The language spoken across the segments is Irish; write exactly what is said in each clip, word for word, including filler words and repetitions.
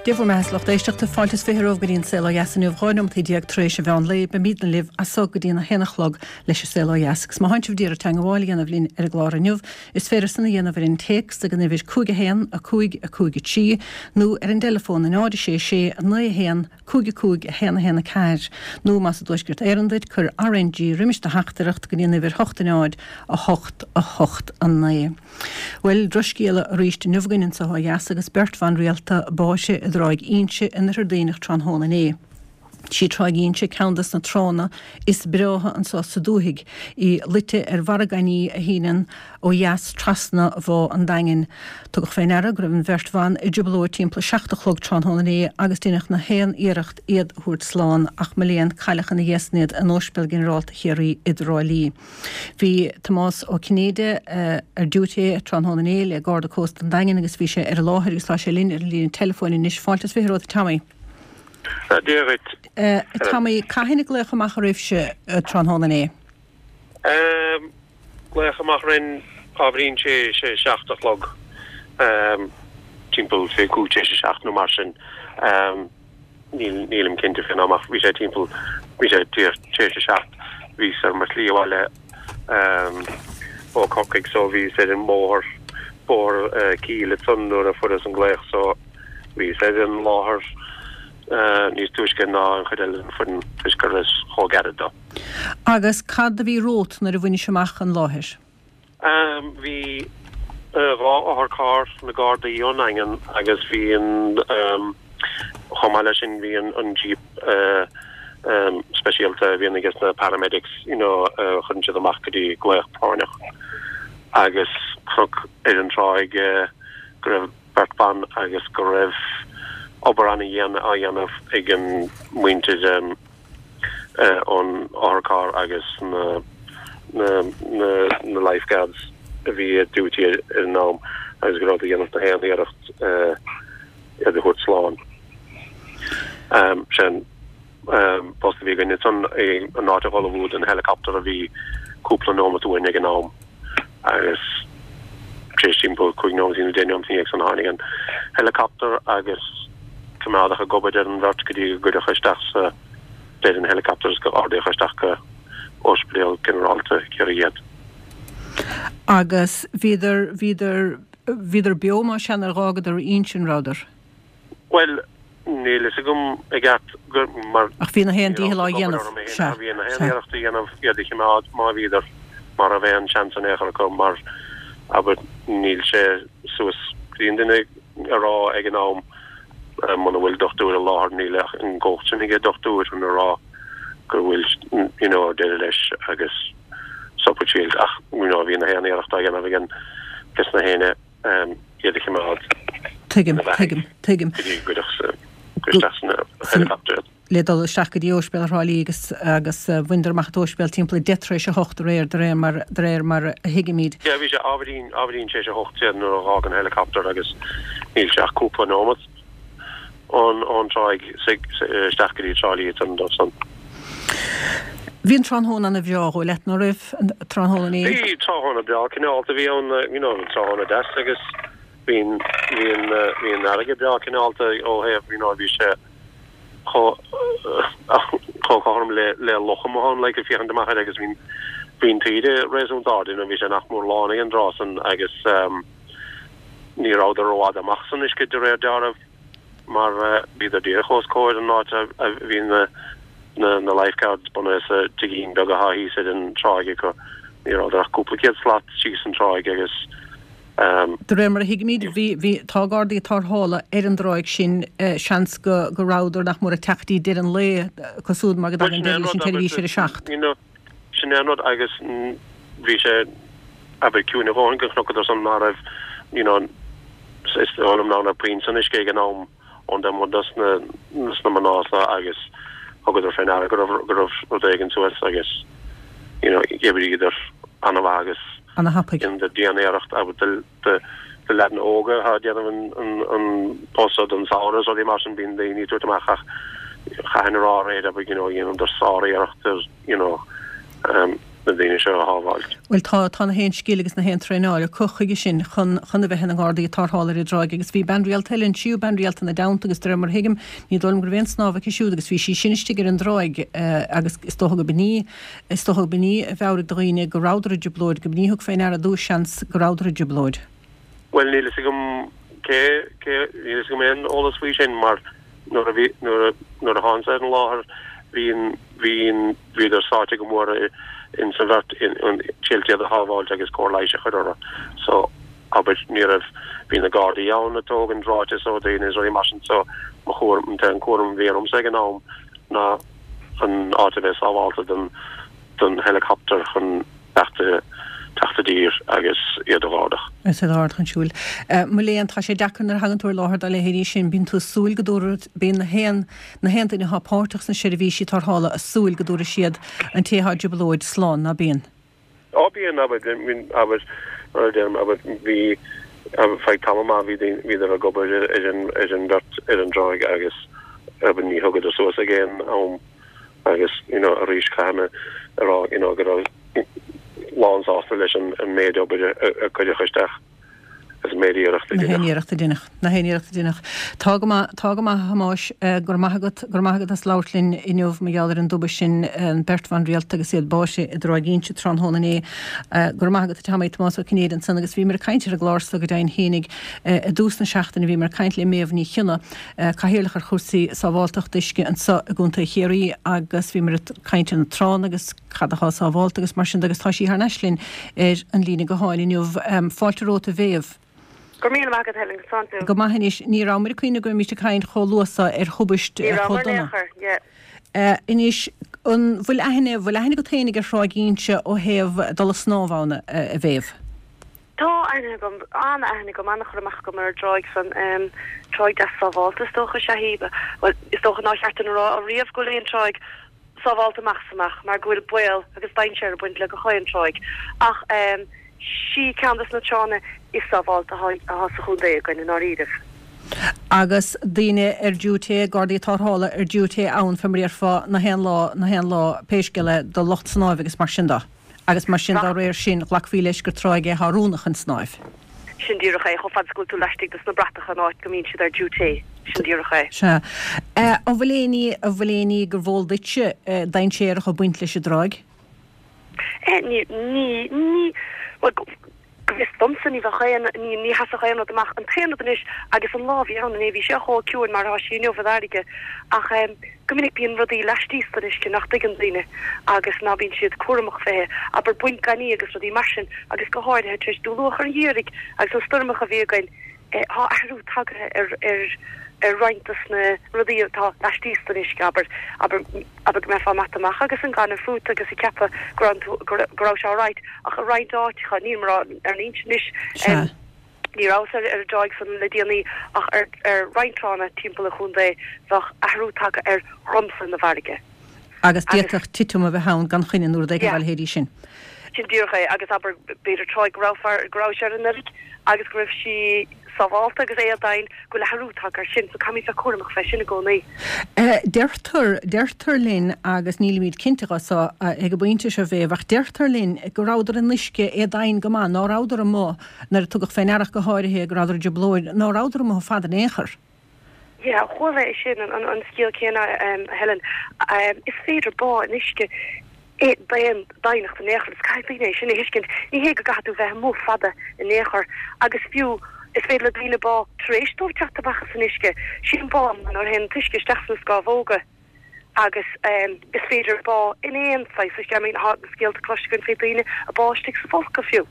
Dia bhur mbeatha, a lucht éisteachta fáilte is fiche romhaibh go dtí an Saol Ó Dheas inniu dhá nóimeataí déag tar éis an mheán lae beimidne libh as so go dtí an a haon a chlog leis an Saol Ó Dheas. Agus má tánn sibh d'iarraidh teagmháil a dhéanamh linn ar an gclár inniu, is féidir san a dhéanamh ar an téacs ag an uimhir cúig a haon a cúig a cúig a trí nó ar an dteileafón a náid a sé sé a naoi a haon cúig a cúig a haon a haon a ceathair nó más i dTuaisceart Éireann duit cuir RNG roimis do theachtaireacht go dtí an uimhir hocht a náid a hocht a hocht a naoi. Bhuel drochscéala arís inniu againn anseo ó dheas agus beirt bhan rialta básaithe i dTráigh Inse in Oirthear Duibhneach tráthnóna inné. Sí Tráigh Inse ceann des na tránna is breátha anseo sa dúthaigh, í luite ar mhargainí a shíneann ó dheas trasna Bhá an Daingin. Tugadh fé ndeara go raibh an bheirt bhan i dtrioblóid timpeall seacht a chlog tráthnóna inné agus deineadh na haon iarracht iad a thabhairt slán ach mo léan cailleadh ina dhiaidh san iad in Ospidéal Ginearálta Chiarraí i dTrá Lí. Bhí Tomás Ó Cinnéide ar diúité tráthnóna inné le Garda Cósta an Daingin agus bhí sé ar an láthair agus tá sé linn ar an líne teileafóin anois fáilte is fiche romhat Tommy. Dia dhuit. Tommy, cathain a glaodh amach oraibhse tráthnóna inné? Glaodh amach orainn ábhairín tar éis a seacht a chlog, timpeall fé cúig tar éis a seacht nó mar sin. Nílim cinnte fén am ach bhí sé timpeall, bhí sé tar éis a seacht. Bhíos ar mo shlí abhaile ó Corcaigh so bhíos ar an mbóthar, bóthar Keel ansan nuair a fuaireas an glaoch so bhíos ar an láthair níos túisce ná an chuid eile den foireann toisc go rabhas chomh gairid dó. Agus cad a bhí romhat nuair a bhainis amach an láthair? Bhí dhá otharcharr na Gardaí ón nDaingean agus bhí an, chomh maith leis sin bhí an an jeep speisialta a bhíonn aige na paramedics, you know, a chuireann siad amach go dtí glaoch práinneach agus chonac ar an tráigh go raibh beirt bhan agus go raibh obair ana-dhian á dhéanamh ag an muintir ón otharcharr agus na na na na lifeguards a bhí ar duty ar an am agus go rabhadar ag déanamh na haon iarracht iad a thabhairt slán. Sin post a bhí againn ansan an áit a dhul don helicopter a bhí cúpla nóimeat uainn ag an am agus tar éis timpeall cúig nóimeat nó deich nóimeat ina dhiaidh san tháinig an helicopter agus coimeádadh ag obair ar an bheirt go dtí go gcuireadh isteach sa bed an helicopter agus go ardaíodh isteach go Ospidéal Ginearálta Chiarraí iad. Agus bhíodar bhíodar bhíodar beo más ea nuair a dh'fhágadar Inse an rabhadar? Bhuel, níl fhios agam i gceart gur mar Ach bhí na haon dícheall á dhéanamh, sea, bhí na haon iarracht á dhéanamh iad a choimeád má bhíodar mar a bheadh aon seans in aon chor acu mar abair níl sé suas go dtí an duine a rá ag an am muna bhfuil dochtúir i láthair níl ach an chumhacht sin ag an dochtúir chun a rá go bhfuil you know deireadh leis agus stop shield ach you know bhí na haon iarracht á dhéanamh ag an ges na héinne iad a choimeád Tuigim, tuigim, tuigim. go dtí go gcuireadh isteach san helicopter. le dul isteach go dtí Ospidéal Thrá Lí agus agus bhaineadar amach an t-ospidéal timpeall deich tar éis a hocht aréir de réir mar de réir mar a thuigimid. Yeah, bhí sé ábhairín ábhairín tar éis a hocht déag nuair a dh'fhág an helicopter agus níl sé ach cúpla nóimeat ón ón tráigh isteach go dtí Trá Lí an dó san. Bhí an tráthnóna ana bhreá dhó leat ná raibh an tráthnóna inné? Bhí tráthnóna breá cineálta bhí ann you know tráthnóna deas agus bhí bhí an bhí an fharraige breá cineálta ó thaobh you know bhí sé chomh chomh cothrom le le loch amuigh ann like ag féachaint amach air agus bhí bhí an taoide réasúnta ard you know bhí sé nach mór lán ag an dtráth san agus um, ní rabhadar rófhada amach san uisce de réir dealraimh mar bhíodar díreach os comhair an áit a bhí na na na lifeguards bunaithe sa tigín beag atá thíos ar an tráigh acu. Ní rabhadar ach cúpla céad slat síos an tráigh agus um, De réir mar a thuigimid bhí bhí tá gardaí tarrthála ar an dtráigh sin seans go go rabhadar nach mór ag teacht dtí deireadh an lae cosúil mar go dtagann deireadh leis an tseirbhís ar a seacht. You know, sin é an rud agus bhí sé abair ciúin a dhóthain go chonacadar san ná raibh you know, is dóigh liom ná raibh puinn san uisce ag an am ón dem dos na sna mná seo agus thugadar fé ndeara go raibh go raibh rud éigin suas agus you know, d'oibríodar an-mhaith agus Ana thapaidh. in dian-iarracht abair de de de leaideanna óga atá ag déanamh an an an post don samhradh so mar sin bíonn daoine ag tabhairt amach ach chaithfinn a rá aréir abair you know dhéanadar sár-iarracht you know um, na na daoine seo a shábháilt. Bhuel tá, tá na haon scil agus na haon traenáil acu chuige sin chun, chun a bheith ina nGardaí Tarrthála ar an dtráigh agus bhí bean rialta eile, an tríú bean rialta ina dteannta agus de réir mar a thuigim, ní dóigh liom go raibh aon snámh aici siúd agus bhí sí sin istigh ar an dtráigh agus is dócha go b'in í, is dócha go b'in í a mheabhraigh do dhaoine go rabhadar i dtrioblóid, go b'in í a thug fé ndeara ar dtús seans go rabhadar i dtrioblóid. Bhuel níl fhios agam cé, cé, níl fhios agam aon eolas faoi sin mar nuair a bhí, nuair a, nuair a thánsa ar an láthair bhí an, bhí an, bhíodar sáite go mór in sa bheirt in, in triail iad a shábháilt agus cóir leighis a chur orthu. So, abair, ní raibh, bhí na Gardaí ann ag tógaint ráiteas ó daoine is rudaí mar sin so mo chúram, an t-aon cúram a bhí ormsa ag an am ná an áit a bheith sábháilte don, don helicopter chun teacht i, teacht i dtír agus iad a dh'ardach. Is iad a dh'ardach chun siúil. Mo léan, tá sé deacair nuair a thagann tú ar láthair dá leithéidí sin, bíonn tú ag súil go dtabharfaidh, bíonn na haon, na haon duine atá páirteach sna seirbhísí tarrthála ag súil go dtabharfaidh siad an té atá i dtrioblóid slán, ná bíonn? Á bíonn, abair, bíonn, abair, mar a deirim, abair, bhí, abair, feadh tamall maith bhí daoine, bhíodar ag obair ar, ar an, ar an bheirt ar an dtráigh agus, abair, ní thugadar suas ag aon am agus, you know, arís caithfidh mé a rá, you know, go raibh lán sásta leis an méid obair a cuireadh isteach agus an méid iarrachta a deineadh. Na haon deineadh. iarracht a deineadh. Na haon iarracht a deineadh. Tá go maith, tá go maith a Thomáis, go raibh maith agat, go raibh maith agat as labhairt linn inniu mar gheall ar an dtubaist sin, an beirt bhan rialta agus iad báite i dTráigh Inse tráthnóna inné. Go raibh maith agat a Tommy, Tomás Ó Cinnéide ansan agus bhíomar ag caint ar an gclár so go deimhin fhéinig i dtús na seachtaine bhíomar ag caint le Méabh Ní Chionnaith, Cathaoirleach ar chúrsaí sábháltachta uisce anso i gContae Chiarraí agus bhíomar ag caint ar na tránna agus cad atá sábhálta agus mar sin de agus tá sí thar n-ais linn ar an líne gutháin inniu. Fáilte romhat a Mhéabh. Go raibh míle maith agat Helen, conas tánn tú? Go maith anois, ní rabhamar ag cuimhneamh go mbeimis ag caint chomh luath so ar thubaist Ní chomh rabhamar in dona. aon chor, yeah. Anois, an bhfuil aithne, bhfuil aithne agat fhéinig ar Thráigh Inse ó thaobh dul ag snámh ann, a Mhéabh? Tá aithne agam, an-aithne agam, an-chur amach agam ar an dtráigh san. Tráigh deas sábhálta is dócha is ea í. Bhuel, is dócha nár cheart dúinn a rá ariamh go bhfuil aon tráigh sábhálta amach is amach mar go bhfuil baol agus dainséar ag baint le gach aon tráigh ach sí ceann des na tránna is sábhálta atá sa chontae againn i ndáiríribh. Agus daoine ar diúité, Gardaí Tarrthála ar diúité ann fé mar a déarfá na haon lá, na haon lá pé scéal é do lucht snáimh agus mar sin de. Agus mar sin dá réir sin ghlacfaí leis gur tráigh é atá oiriúnach chun snáimh. Sin díreach é, chomh fada is go bhfuil tú laistigh dos na bratacha an áit go mbíonn siad ar diúité, sin díreach é. Sea. An bhfuil aon ní, an bhfuil aon ní gurbh eol duitse dainséarach ag baint leis an dtráigh? Ní, ní, ní, bhuel, go bhfios domsa ní bheadh aon, ní, ní sheasfadh aon rud amach. An t-aon rud anois, agus an lá a bhí ann inné, bhí sé chomh ciúin mar atá sí inniu an fharraige, ach go minic bíonn rudaí laistíos den uisce nach dtuigeann daoine agus ná bíonn siad cúramach fé, abair bainc gainimh agus rudaí mar sin agus go háirithe tar éis dul luath ar an gheimhridh agus na stoirmeacha a bhí againn, tá athrú tagaithe ar ar ar roinnt dos na rudaí atá laistíos den uisce, abair, abair, abair go mbeifeá ag imeacht amach agus an gaineamh fút agus ag ceapadh go raibh tú, go raibh sé alright ach i roinnt áiteacha, níl mé ag rá ar an Inse anois, Sea. Ní rabhas ar an dtráigh san le déanaí ach ar ar roinnt tránna timpeall an chontae bheadh athrú tagtha ar dhromchla na bhfarraige. Agus Agus. d'fhéadfadh titim a bheith ann gan choinne nó rud éigin Yeah. dá leithéidí sin. Sin díreach é agus abair b'fhéidir tráigh go raibh fear, go raibh sé ar an oileán agus go raibh sí sábhálta agus éadomhain go bhfuil athrú tagtha air sin so caithfimid bheith cúramach fé sin i gcónaí. Deirtear, deirtear linn, agus nílimid cinnte dhe so ag an bpointe seo, a Mhéabh, ach deirtear linn go rabhadar in uisce éadomhain go maith, ná rabhadar amuigh, nuair a tugadh fé ndeara ach go háirithe go rabhadar i dtrioblóid, ná rabhadar amuigh fada in aon chor. Yeah, chuala é sin, an, an scéal céanna, a Helen. Is féidir bá in uisce d'aon doimhneacht in aon chor, agus caithfidh daoine é sin a thuiscint. Ní hé go gcaithfidh tú bheith amuigh fada in aon chor, agus fiú is féidir le daoine bá tar éis dóibh teacht amach as an uisce. Sé an bá nuair a théann an t-uisce isteach sna scámhóga agus is féidir bá in aon saghas uisce. I mean, tá scéalta cloiste againn faoi daoine a bádh istigh sa folcadh fiú.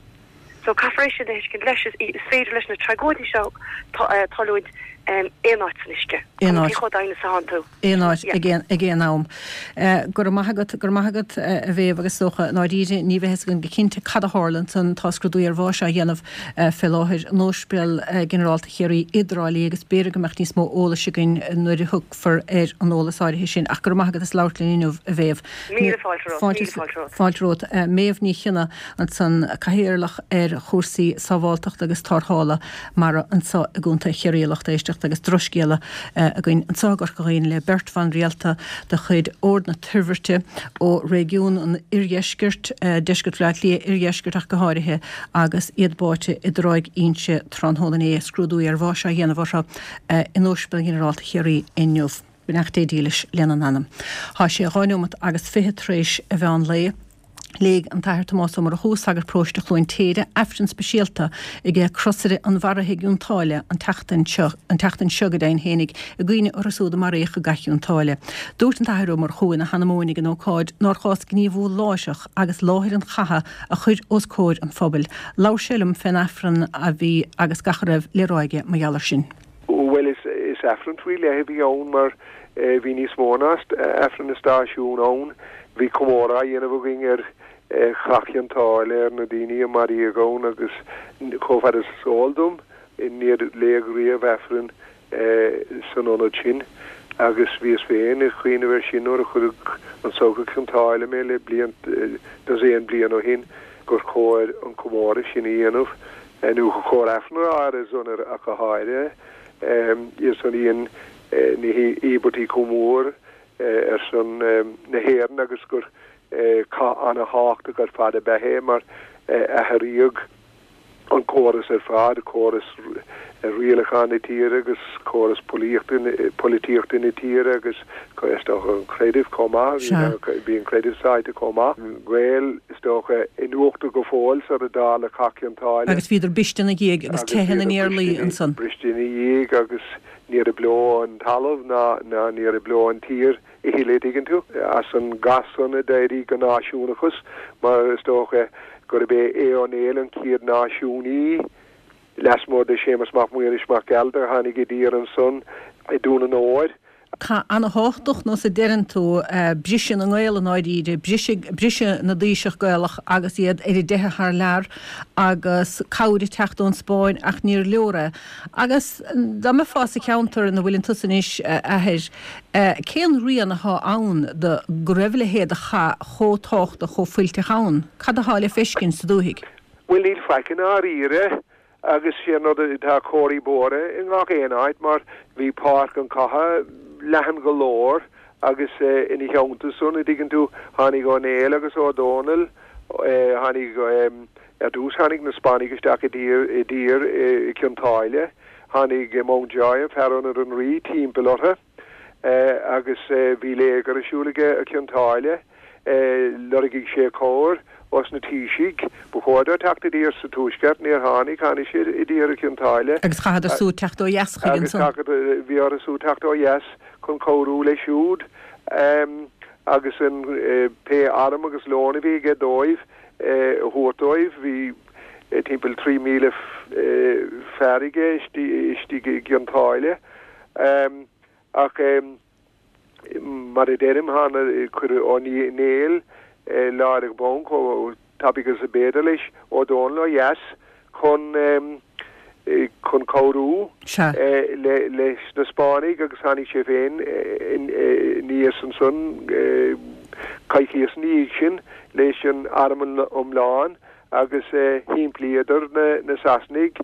So caithfear é sin a thuiscint leis, is féidir leis na tragóidí seo tarlúint aon áit san uisce, Aon cuma áit. cé chomh domhain is atánn tú. Aon áit, Yeah. ag aon, ag aon am. Go raibh maith agat, go raibh maith agat a Mhéabh agus is dócha, i ndáiríre, ní bheidh fhios againn go cinnte cad a tharla ansan, tá scrúdú ar bháis á dhéanamh fé láthair in Ospidéal Ginearálta Chiarraí i dTrá Lí agus b'fhéidir go mbeadh níos mó eolais againn nuair a thiocfar ar an eolas áirithe sin. Ach go raibh maith agat as labhairt linn inniu, a Mhéabh. Míle fáilte romhat, míle fáilte romhat. Fáilte romhat. Méabh Ní Chionnaith ansan, Cathaoirleach ar chúrsaí sábháltachta agus tarrthála mara anso i gContae Chiarraí, a lucht éisteachta. éisteachta agus drochscéala againn anseo i gCorca Dhuibhne le beirt bhan rialta de chuid Ord na Toirbhirte ó réigiún an Oirdheiscirt, Deisceart Bhaile Átha Cliath, Oirdheisceart ach go háirithe, agus iad báite i dTráigh Inse tráthnóna inné, scrúdú ar bháis á dhéanamh orthu in Ospidéal Ginearálta Chiarraí inniu. Beannacht Dé dílis lena n-anam. Tá sé dhá neomat agus fiche tar éis a mheán lae. Léigh an tAthair Tomás Ó Murchú, sagart paróiste Chluain Téide, Aifreann speisialta ag Crosaire an Mharaithe i gCionn tSáile an tseachtain seo, an tseachtain seo go deimhin fhéinig, i gcuimhne orthu siúd a maraíodh i gCath Chionn tSáile. Dúirt an tAthair Ó Murchú ina sheanmóin ag an ócáid nár chás gníomhú láithreach agus láthair an chatha a chur os comhair an phobail. Labhair sé liom fén Aifreann a bhí agus gach a raibh le rá aige mar gheall air sin. Bhuel, is is Aifreann faoi leith a bhí ann mar bhí níos mó ná Aifreann na stáisiún ann. Bhí comóradh á dhéanamh againn ar Chath Chionn tSáile, ar na daoine a maraíodh ann agus chomh fada is is eol dom, níor léadh riamh Aifreann san ionad sin agus bhíos féin ag cuimhneamh air sin nuair a cuireadh anso go Cionn tSáile mé le bliain, dosaen bliain ó shin, gur chóir an comóradh sin a dhéanamh nó gur chóir Aifreann a rá ar a son ach go háirithe. Iad san a dhein na híobairtí chomh mór ar son na hÉireann agus gur cath ana-thábhachtach ar fad ab ea é mar athraíodh an córas ar fad, córas rialacháin na tíre agus córas polaitíochta na tíre agus is dócha an creideamh chomh maith, bhí an creideamh sáite chomh maith. Gaeil is dócha in uachtar go fóill sar a dtarla Cath Chionn tSáile. Agus bhíodar briste ina dhiaidh agus teitheadh ina nIarlaí ansan. Briste ina dhiaidh agus ní raibh leo an talamh ná ní raibh leo an tír a thuilleadh, tuigeann tú. As an gcath san a d'éirigh an náisiúnachas mar is dócha gurb é Aodh Ó Néill an chéad náisiúnaí lasmuigh de Séamus Mac Muiris Mac Gearailt a tháinig i dtír ansan i Dún an Óir. Cath ana-thábhachtach, nós a deireann tú, briseadh na nGael i ndáiríre, briseadh, briseadh na dtaoiseach Gaelach agus iad ar a dteitheadh thar lear agus cabhair ag teacht ón Spáinn ach níor leor é. Agus dá mbeifeá sa cheantar ina bhfuileann tusa anois, a Athair, cén rian athá ann de go raibh a leithéid de chath chomh tábhachtach, chomh fuilteach ann? Cad athá le feiscint sa dúthaigh? Bhuel, níl faic i ndáiríre. Agus sé an rud, tá comharthaí bóthair i ngach aon áit mar bhí páirc an chatha leathan go leor agus ina theannta san, a dtuigeann tú, tháinig Ó Néill agus Ó Dónaill, tháinig, ar dtús tháinig na Spáinnigh isteach i dtír, i dtír i gCionn tSáile, tháinig Mountjoy, fear ionaid an Rí, timpeall orthu. Agus bhí léigear ar siúl aige i gCionn tSáile. Lorgaigh sé cabhair ós na taoisigh. Ba chóir dó teacht i dtír sa Tuaisceart. Níor tháinig. Tháinig sé i dtír i gCionn tSáile. Agus chaitheadar siúd teacht ó dheas chuige ansan. Agus chaith, bhí orthu siúd teacht ó dheas chun cabhrú leis siúd. Agus an pé arm agus lón a bhí aige dóibh a thabhairt dóibh. Bhí timpeall trí mhíle fear aige istigh i gCionn tSáile. Ach mar a deirim, tháinig, cuireadh Ó Néill láithreach bonn chomh tapaidh agus a b'fhéidir leis, Ó Dónaill ó dheas chun chun cabhrú leis na Spáinnigh agus tháinig sé féin aníos ansan coicíos ina dhiaidh sin leis an arm iomlán agus thimplíodar na Sasanaigh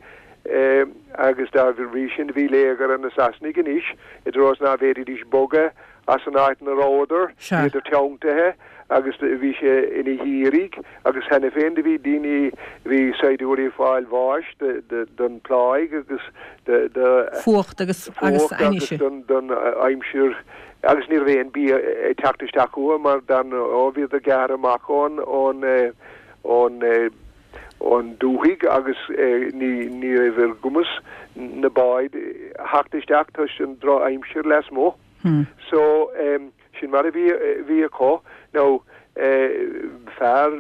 agus dá bhrí sin bhí léigear ar na Sasanaigh anois i dtreo is ná bhféadfaidís bogadh as an áit 'na rabhadar, bhíodar teanntaithe agus bhí sé ina gheimhreadh agus cheana féin do bhí daoine, bhí saighdiúirí ag fáil bháis don phláigh agus do fuacht agus agus don aimsir agus ní raibh aon bia ag teacht isteach chucu mar dar ndóigh bhíodar gearrtha amach ón ón ón ón dúthaigh agus ní ní raibh ar gcumas na báid theacht isteach toisc an drochaimsir lasmuigh. So sin mar a bhí bhí acu. Now fear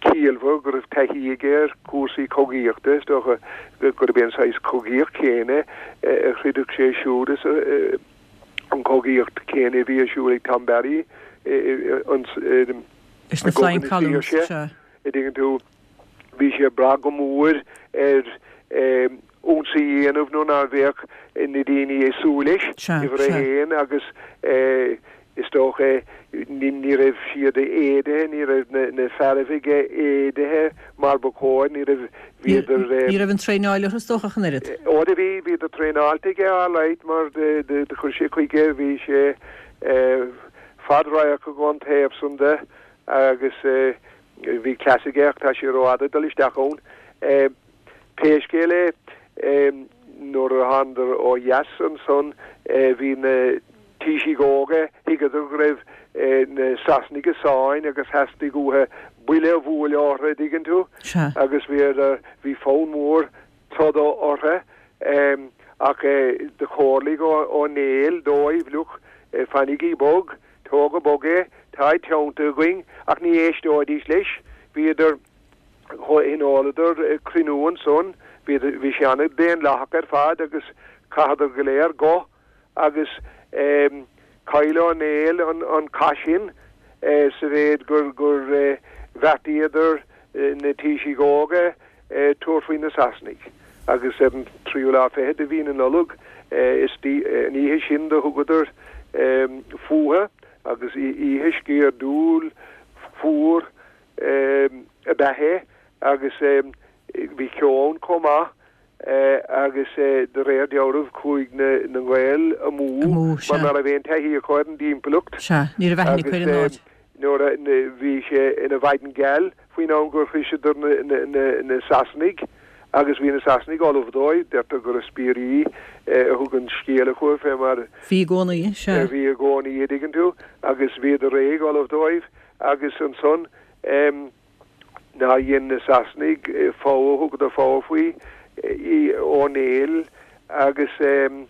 ciallmhar go raibh taithí aige ar chúrsaí cogaíochta, is dócha gurb é an saghas cogaíocht chéanna a throideadh sé siúd is an chogaíocht chéanna a bhí ar siúl ag Tom Barry Leis na Flying Columns, sea. a dtuigeann tú, bhí sé ag brath go mór ar ionsaí a dhéanamh nuair ná bheadh na daoine ag súil leis, Sea, uimhir a sea. haon, agus Is dócha ní ní raibh siad éadaithe, ní raibh na na fearaibh aige éadaithe mar ba chóir, ní raibh, bhíodar. Ní raibh an traenáil orthu is dócha ach an oiread. Ó do bhí, bhíodar traenáilte aige alright mar do do do chuir sé chuige, bhí sé fad radharc ón taobh san de agus bhí cleas aige ach tá sé rófhada dul isteach ann. Pé scéal é, nuair a thánadar ó dheas ansan bhí na taoisigh óga, thuigeadar go raibh na Sasanaigh i sáinn agus theastaigh uathu buille a bhualadh orthu, an dtuigeann tú, agus bhí bhí fonn mór troda orthu ach do chomhairligh Ó Néill dóibh, look, fanaigí bog, tógadh bog é, tá teannta againn, ach ní éisteoidís leis, bhíodar, thionóladar cruinniú ansan, bhí sé an-daonlathach ar fad agus chaitheadar go léir guth agus chaill Ó Néill an cath sin sa mhéid gur gur bheartaíodar na taoisigh óga tabhairt faoi na Sasanaigh agus ar an tríú lá fichead de mhí na Nollag is an oíche sin do thugadar fúthu agus oíche sciordúil fuar ab ea é agus bhí ceo ann chomh maith agus de réir dealraimh chuaigh na Gaeil amú mar ná raibh aon taithí acu ar an dtimpeallacht. Sea, ní raibh aithne acu ar an áit. Nuair a bhí sé ina mhaidin gheal faoin am gur shroiseadar na Sasanaigh agus bhí na Sasanaigh ullamh dóibh, deirtear go raibh spiairí a thug an scéala chucu fé mar a bhí i gcónaí, sea. a bhí i gcónaí, a dtuigeann tú, agus bhíodar réidh ullamh dóibh agus ansan ná dhein na Sasanaigh fogha, thugadar fogha faoi Ó Néill agus do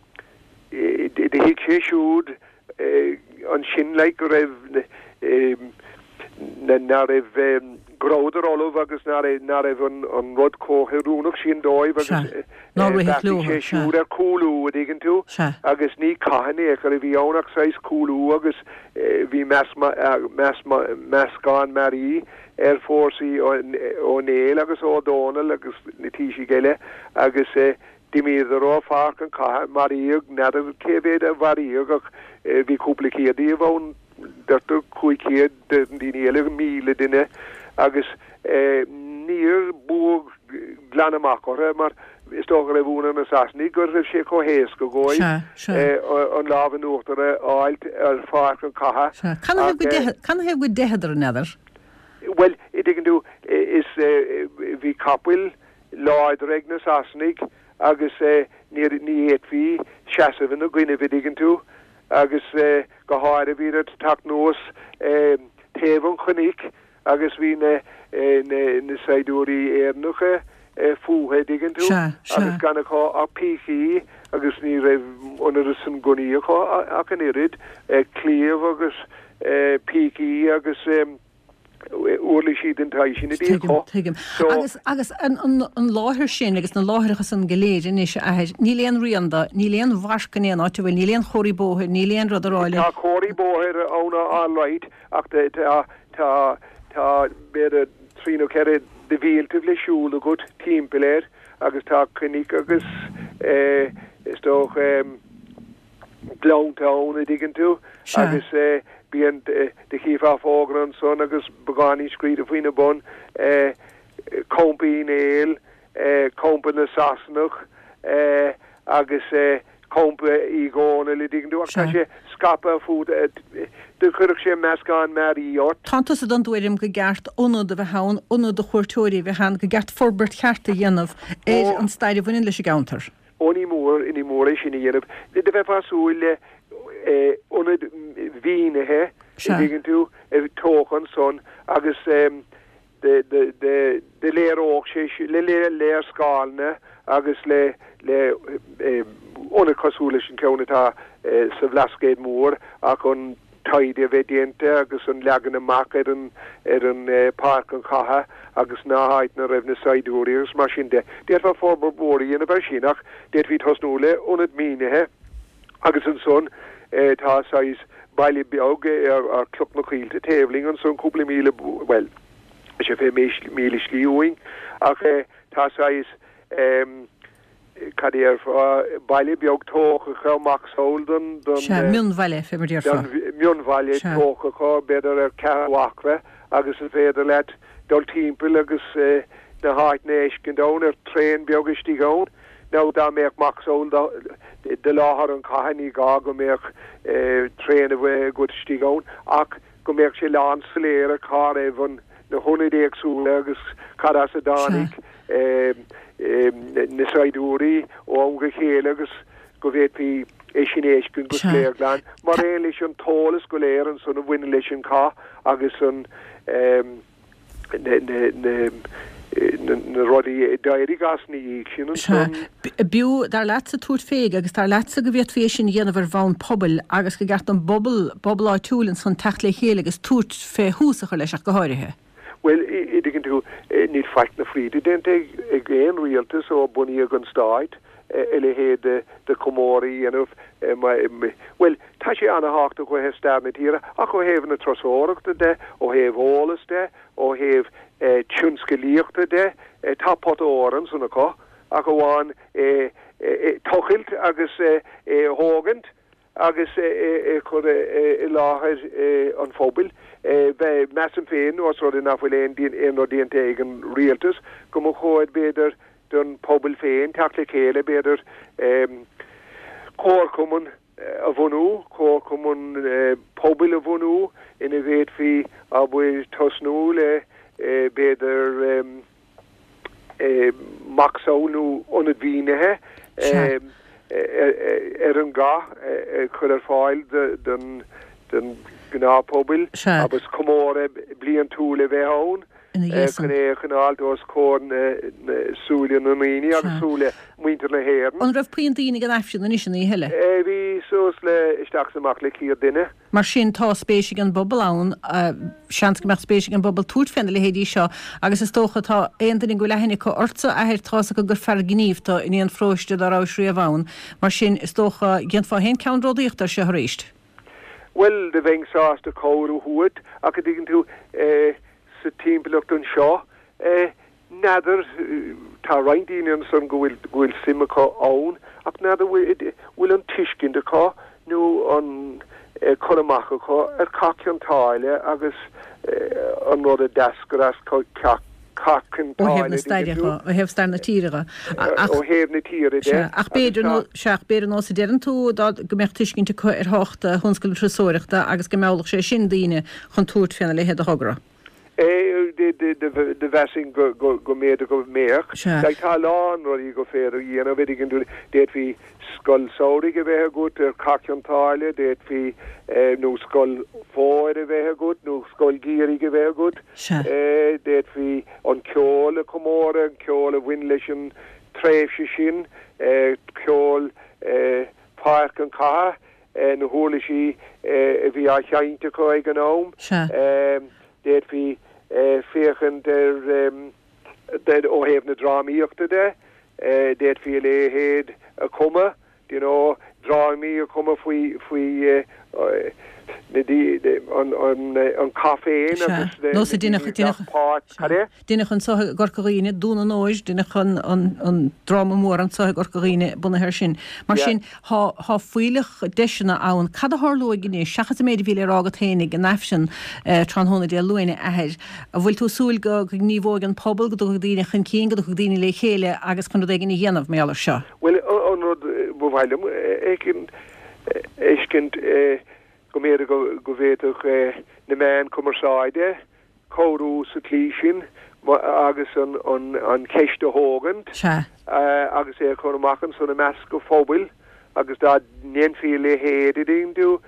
thuig sé siúd ansin like go raibh ná raibh go rabhadar ullamh agus ná raibh ná raibh an an rud chomh hoiriúnach sin dóibh agus bheartaigh sé siúd ar chúlú a dtuigeann tú agus ní cath in aon chor a bhí ann ach saghas cúlú agus bhí meascán mearaí ar fórsaí Ó Néill agus Ó Dónaill agus na taoisigh eile agus d'imíodar ó pháirc an chatha, maraíodh, n'fheadar cé mhéad a maraíodh ach bhí cúpla céad díobh ann, deirtear cúig chéad, deireann daoine eile míle duine agus níor buadh glan amach orthu mar is dócha go raibh ionadh ar na Sasanaigh go raibh sé chomh héasca dhóibh an lámh in uachtar a fháilt ar pháirc an chatha. Canathaobh go dteitheadar, an n'fheadar? Bhuel, a dtuigeann tú, is bhí capaill láidre ag na Sasanaigh agus ní fhéadfaí seasamh ina gcoinnibh, a dtuigeann tú, agus go háirithe bhíodar ag teacht anuas taobh an chnoic agus bhí na na saighdiúirí Éireannacha fúthu, a dtuigeann tú, agus gan acu ach pící agus ní raibh an oiread san gunnaí acu ach an oiread, claíomh agus pící agus. uirlisí den tsaghas sin a bhí acu. Tuigim. Agus, agus an, an, an láthair sin agus na láithreacha san go léir anois, a athair, níl aon rian de, níl aon mharc in aon áit a bhfuil, níl aon chomharthaí bóthair, níl aon rud a rá le. Tá comharthaí bóthair ann alright ach tá, tá, tá b'fhéidir trí nó ceithre de mhíltibh le siúl agat timpeall air agus tá cnoic agus eh, is dócha, gleannta ann, a dtuigeann tú, agus bíonn, do chífeá fógra ansan agus beagáinín scríte faoina bun, Campa Uí Néill, Campa na Sasanach agus Campa Uí Dhónaill, a dtuigeann tú, ach tá sé scaipthe fud, do chuirfeadh sé meascán mearaí ort. Tánn tusa den tuairim go gceart ionad a bheith ann, ionad do chuairteoirí a bheith ann, go gceart forbairt cheart a dhéanamh ar an stair a bhaineann leis an gceantar. Ó ní mór, ní mór é sin a dhéanamh. Do bheifeá ag súil le ionad mhínithe, a dtuigeann tú, tógtha ansan agus do léireodh sé le léarscáileanna agus le ionad cosúil leis an ceann atá sa Bhlascaod Mór ach an taighde a bheith déanta agus an leagan amach ar an ar an páirc an chatha agus na háiteanna a raibh na saighdiúirí agus mar sin de. D'fhéadfá forbairt mhór a dhéanamh air sin ach d'fhéadfaí tosnú le ionad mínithe agus ansan tá saghas baile beag ar Chloch na Coillte taobh linn ansan cúpla míle, bhuel, sé fiche míle slí uainn ach tá saghas cad a déarfá, baile beag tógtha acu, macasamhail den, den. Sea, mionbhaile, fé mar a déarfá. Den mionbhaile tógtha acu, b'fhéidir ar ceathrú acra, agus is féidir leat dul timpeall agus na háiteanna a fheiscint ann, ar traein beag istigh ann. Nó dá mbeadh macasamhail de láthair an chatha, ní gá go mbeadh traein a bheith agat istigh ann, ach go mbeadh sé lán soiléir cá raibh an na hionaid éagsúla agus cad as a dtáinig na saighdiúirí ó am go chéile agus go bhféadfaí é sin a fheiscint go soiléir glan, mar aon leis an t-eolas go léir ansan a bhaineann leis an chath agus an na na rudaí a d'éirigh as ina dhiaidh sin ansan. B'fhiú, dar leatsa, tabhairt fé agus dar leatsa go bhféadfaí é sin a dhéanamh ar bhonn pobail agus gur cheart don bpobal, pobal áitiúil ansan teacht le chéile agus tabhairt fé thús a chur leis ach go háirithe. Bhuel, an dtuigeann tú, níl faic na fríde déanta ag aon rialtas ó bunaíodh an stát a leithéid de chomóradh a dhéanamh. Bhuel, tá sé ana-thábhachtach ó thaobh stair na tíre, ach ó thaobh na turasóireachta de, ó thaobh eolas de, ó thaobh tionscalaíochta de, tá pota óir ansan acu, ach amháin é tochailt agus é a thógaint. agus é a chur i láthair an phobail. Measaim féin, ós rud é nach bhfuil aon rud déanta ag an rialtas, go mba chóir, b'fhéidir, don phobal féin teacht le chéile, b'fhéidir comharchumann a bhunú, comharchumann pobail a bhunú ina bhféadfaí, abair, tosnú le, b'fhéidir, macasamhail nó ionad mhínithe ar an gcath a chur ar fáil don ghnáthphobal agus comóradh bliantúil a bheith ann chun é a choinneáilt os comhair na súile na ndaoine agus súile muintir na hÉireann. An raibh puinn daoine ag an Aifreann anois an oíche eile? Bhí suas le isteach is amach le céad duine. Mar sin, tá spéis ag an bpobal ann, seans go mbeadh spéis ag an bpobal tabhairt féna leithéidí seo agus is dócha, tá aon duine go bhfuil aithne acu ortsa, a athair, tá's acu gur fear gnímh tu in aon pharóiste dá rabhais riamh ann. Mar sin, is dócha, dhéanfá féin ceannródaíocht air seo arís. Bhuel, do bheinn sásta cabhair a thabhairt ach an dtuigeann tú, sa timpeallacht anseo, n'fheadar, tá roinnt daoine ansan go bhfuil, go bhfuil suim acu ann ach n'fheadar bhfuil, bhfuil an tuiscint acu nó an cur amach acu ar Chath Chionn tSáile agus an rud a d'eascair as Cath Chionn Ó thaobh na tSáile, staire dtuigeann dho, tú? ó thaobh stair na tíre dho. Ach, Ó thaobh na tíre de sea, ach agus b'fhéidir tá. nó, sea, ach b'fhéidir nós a deireann tú dá, go mbeadh tuiscint acu ar thábhacht thionscal na turasóireachta agus go meallfadh sé sin daoine chun tabhairt féna leithéid de thogra. Do mheasfainn go mb'fhéidir go mbeadh. Sea. Like tá a lán rudaí gur féidir a dhéanamh, an dtuigeann tú, d'fhéadfaí scoil samhraidh a bheith agat ar Chath Chionn tSáile, d'fhéadfaí nó scoil fómhair a bheith agat nó scoil gheimhridh a bheith agat. Sea. D'fhéadfaí an ceol a chomóradh, an ceol a bhain leis an tréimhse sin, ceol Pháirc an Chatha, na huirlisí a bhí á sheinnt acu ag an am. Sea. D'fhéadfaí féachaint ar, ó thaobh na drámaíochta de, d'fhéadfaí a leithéid a chumadh, do you know, drámaí a chumadh faoi, faoi na, an, an, an cath féin Sea. agus na Nós a daoine deineadh, a deineadh, ghlac páirt, sea. cad é? Deineadh anso i gCorca Dhuibhne, Dún an Óir, deineadh an, an, an dráma mór anso i gCorca Dhuibhne bunaithe air sin. Mar Yeah. sin, thá, thá fuílleach deiseanna ann. Cad a tharlóidh anois, seachas an méid a bhí le rá agat féin ag an Aifreann tráthnóna Dé Luain, a athair? An bhfuil tú ag súil go ngníomhóidh an pobal, go dtiocfaidh daoine chun cinn, go dtiocfaidh daoine le chéile agus chun rud éigin a dhéanamh mar gheall air seo? Bhuel, an rud ba mhaith liom a fheiscint, go mb'fhéidir go bhféadfadh na meáin cumarsáide cabhrú sa tslí sin agus an cheist a thógaint agus é a chur amach ansan i measc an phobail agus dá ndéanfaí a leithéid, an dtuigeann tú,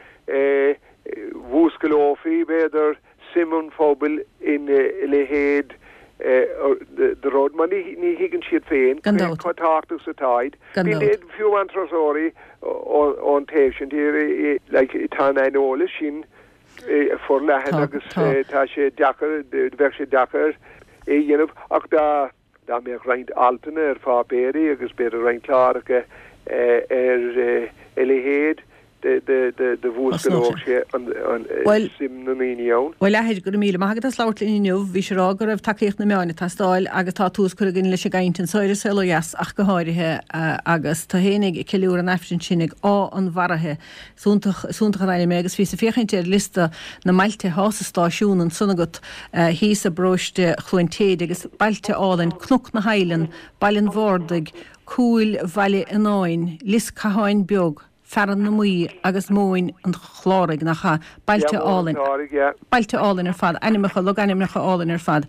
mhúsclófaí, b'fhéidir, suim an phobail ina leithéid de rud, mar ní thuigeann siad féin Gan cé dabht. chomh tábhachtach is atáid. Gan Bíonn dabht. fiú amháin turasóirí ón taobh sin tíre, like, tá an aineolas sin forleathan Tá, agus tá. tá sé deacair, bheadh sé deacair é a dhéanamh ach dá dá mbeadh roinnt altanna ar pháipéirí agus b'fhéidir roinnt cláracha ar a leithéid, de mhúsclódh sé an suim na ndaoine ann. Bhuel, a athair, go raibh míle maith agat as labhairt linn inniu. Bhís ag rá go raibh tacaíocht na meáin ag teastáil agus tá tús curtha againn leis an gcaint anseo ar An Saol Ó Dheas ach go háirithe agus tú féin ag ceiliúradh an Aifrinn sin ag Áth an Mharaithe. Is iontach, is iontach an ainm é agus bhíos ag féachaint ar liosta na mbailte atá sa stáisiún ansan agat thíos i bparóiste Chluain Téide agus bailte álainn, Cnoc na hAileann, Baile an Bhardaigh, Cúil Bhaile Fhionáin, Lios Catháin Beag, Fearann na Maí agus Móin an Chláraigh, nach ea? Bailte álainn. Bailte álainn ar fad, ainmneacha, logainmneacha álainn ar fad.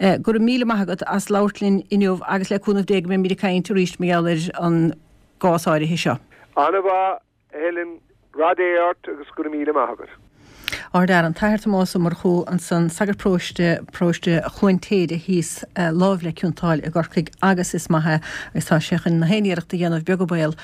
Go raibh míle maith agat as labhairt linn inniu agus le cúnamh Dé go mbeimid ag caint arís mar gheall ar an gcás áirithe seo. An-mhaith, a Helen, rath Dé ort agus go raibh míle maith agat. Ardfhear, an tAthair Tomás Ó Murchú ansan, sagart paróiste, paróiste Chluain Téide thíos láimh le Cionn tSáile i gCorcaigh agus is maith é agus tá sé chun na haon iarracht a dhéanamh, beag an baol,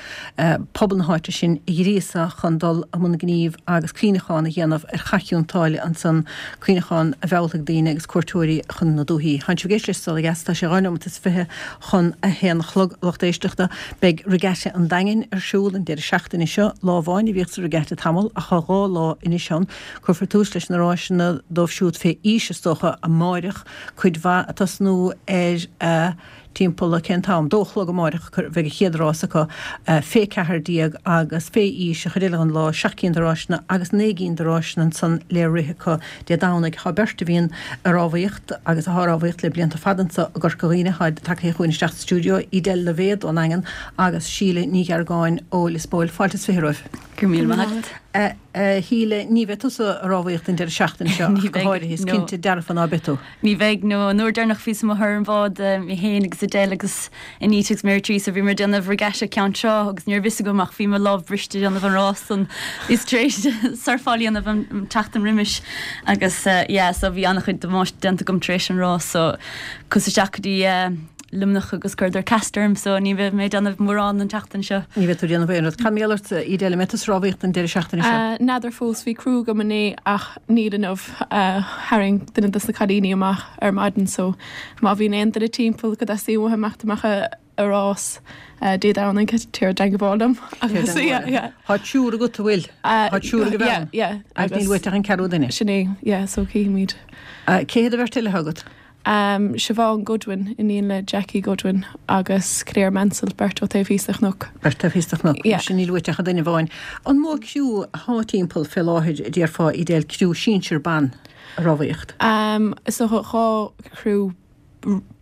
pobal na háite sin a ghríosadh chun dul i mbun gnímh agus cuimhneachán a dhéanamh ar Chath Chionn tSáile ansan, cuimhneachán a mheallfaidh daoine agus cuairteoirí chun na dúichí. Tánn sibh ag éisteacht leis an Saol Ó Dheas, tá sé dhá neomat is fiche chun a haon a chlog, a lucht éisteachta. Beidh Regatta an Daingin ar siúl an deireadh seachtaine seo. Lá amháin a bhíodh sa Regatta tamall ach tá dhá lá anois ann. Cuirfear tús leis na ráiseanna dóibh siúd fé aois, is dócha, amáireach, cuid mhaith ag tosnú ar a timpeall a cén t-am? Dó a chlog amáireach a bheidh an chéad rás acu, fé ceathair déag agus fé aois, an chuid eile den lá, seacht gcinn de ráiseanna agus naoi gcinn de ráiseanna ansan le rith acu Dé Domhnaigh. Tá beirt a bhíonn ag rámhaíocht agus atá ag rámhaíocht le blianta fada anso i gCorca Dhuibhne, táid tagtha chugainn isteach sa stiúideo, Edel Lavey ón nDaingean agus Síle Ní Gheargáin ó Lios Póil. Fáilte is fiche romhaibh. Go raibh míle maith agat. A Shíle, ní bheidh tusa ag rámhaíocht an deireadh seachtaine seo ach go háirithe, is cinnte dearfa ná beidh tú. Ní bheidh, no. An uair deireanach bhíos amuigh ar an bhád, mé féin agus Edel agus Anita agus Mary Teresa, bhíomar ag déanamh regatta Ceann Trá agus ní raibh fhios agam ach bhí mo lámh briste ag déanamh an rás san. Bhíos tar éis surfáil a dhéanamh an tseachtain roimis agus yeah so bhí an-chuid damáiste déanta agam tar éis an rás so chuas isteach go dtí Luimneach agus chuireadar cast orm so ní bheidh mé ag déanamh mórán an tseachtain seo. Ní bheidh tú ag déanamh aon rud. Cad mar gheall ort, Edel, an mbeidh tusa ag rámhaíocht an deireadh seachtaine seo? N'fheadar fós, bhí criú agam inné ach níl inniu. Tharraing duine dos na cailíní amach ar maidin so má bhíonn aon duine timpeall go dteastaíonn uathu imeacht amach ag rás Dé Domhnaigh tabhair i dteangmháil liom. Agus yeah yeah. Tá triúr agat, an bhfuil? Tá triúr ag an bhean? Yeah yeah. Agus níl uait ach an ceathrú duine? Sin é, yeah, so cífimid. Cé hiad an bheirt eile atá agat? Siobhán Goodwin, iníon le Jackie Goodwin, agus Claire Mansell, beirt ó taobh thíos de chnoc. Beirt taobh thíos de chnoc. Yeah. Sin níl uait ach duine amháin. An mó criú atá timpeall fé láthair, a déarfá, Edel, criú sinsir ban ag rámhaíocht? Is dócha dhá chriú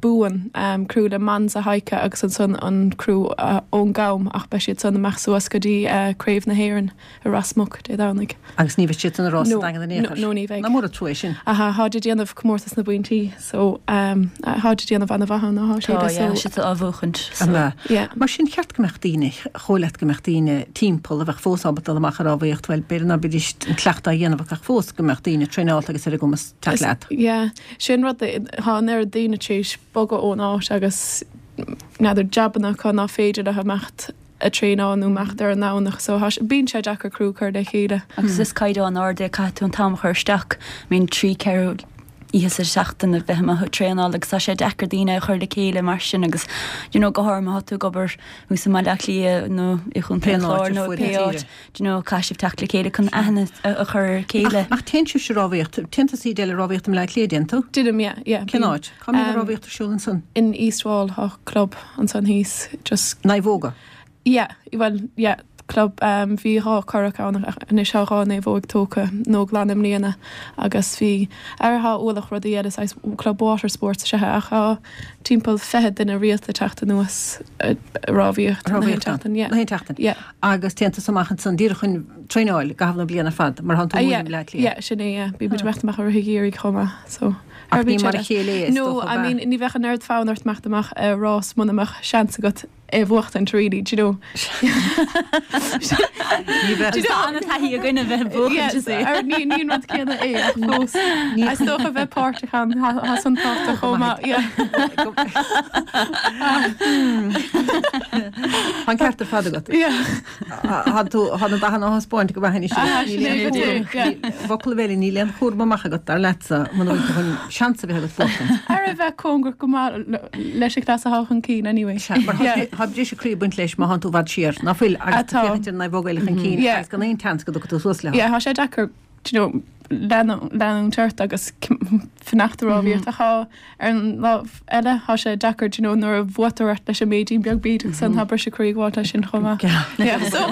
buan, criú le Monza Heike agus ansan an criú ón gCam ach beidh siad san amach suas go dtí Craobh na hÉireann i Ros Muc Dé Domhnaigh. Agus ní bheidh siad san ag rás sa Daingean in aon chor? No, ní bheidh. Nach mór an trua é sin. Aha, tháid ag déanamh comórtas na bpointí so tháid ag déanamh ana-mhaith ann, tá siad so. Tá, yeah, siad á bhuachaint so. An ea? Yeah. Mar sin cheart go mbeadh daoine, chomh leat go mbeadh daoine timpeall a bheadh fós ábalta dul amach ag rámhaíocht, bhuel, b'fhéidir ná beidís an cleachtadh á dhéanamh acu ach fós go mbeadh daoine traenáilte agus ar a gcumas teacht leat. Yeah, sin rud, tá an oiread daoine tar éis bogadh ón áit agus n'fheadar jabanna acu ná féidir leo imeacht ag traenáil nó imeacht ar an nDomhnach so tá sé, bíonn sé deacair criú a chur le chéile. Agus is caighdeán ard é, caithfidh tú an t-am a chur isteach, I mean trí, ceithre oíche sa seachtain a bheith amuigh ag traenáil agus tá sé deacair daoine a chur le chéile mar sin agus you know go háirithe má tá tú ag obair thuas i mBaile Átha Cliath nó i gContae an Chláir nó pé áit. Do you know, caithfidh sibh teacht le chéile chun aithne a chur ar a chéile. Ach téann sibhse ag rámhaíocht, téann tusa Edel ag rámhaíocht i mBleá Cliath, dtéann tú? Déanaim, yeah, yeah. Cén áit? Cá mbíonn an rámhaíocht ar siúl ansan? In East Wall, tá club ansan thíos, just. Naomhóga? Yeah, bhuel, yeah, club, bhí dhá curach ann ach anois tá dhá naomhóig tógtha nó glan i mbliana agus bhí, ar tá ualach rudaí eile, saghas club water sports is ea é ach tá timpeall fiche duine rialta ag teacht anuas ag rámhaíocht na haon tseachtain, yeah. Na haon tseachtain. Yeah. Agus téann tusa amach ansan díreach chun traenáil i gcaitheamh na bliana ar fad, mar tánn tú ag múineadh i mBleá Cliath. Yeah, sin é, yeah. Bíonn muid ag imeacht amach i rith an gheimhridh chomh maith, so. Ach ní mar a chéile é, is No, dócha, I mean, ní bheadh an oiread fonn ort imeacht amach ar rás muna mbeadh seans agat é a bhuachtaint, really, do you know. Ní bheadh. Do you know, tá an-taithí againn a bheith ag buachaint, is é. Yes, ní ní an rud céanna é ach fós. Is dócha bheith páirteach ann, tá san tábhachtach chomh maith, yeah. Tá an ceart ar fad agat. Tá tú tá na dathanna á thaispeáint go maith anois. I bhfocal eile níl aon chúram amach agat dar leatsa muna bhfuil tú chun seans a bheith agat buachtaint. Ar a bheith cóngarach go maith leis an chleas atá chun cinn anyway. Sea, mar tá briseadh croí ag baint leis má thánn tú i bhfad siar, ná fuil, agus tú Atá. féachaint ar an naomhóg eile chun cinn Yeah. agus gan aon tseans go dtiocfaidh tú suas leo. Yeah, tá sé deacair you know, leanúint ort agus fanacht ag rámhaíocht ach ar an lámh eile tá sé deacair you know, nuair a bhuaitear ort leis an méidín beag bíd agus an tá briseadh croí ag gabháil leis sin chomh maith. Yeah, so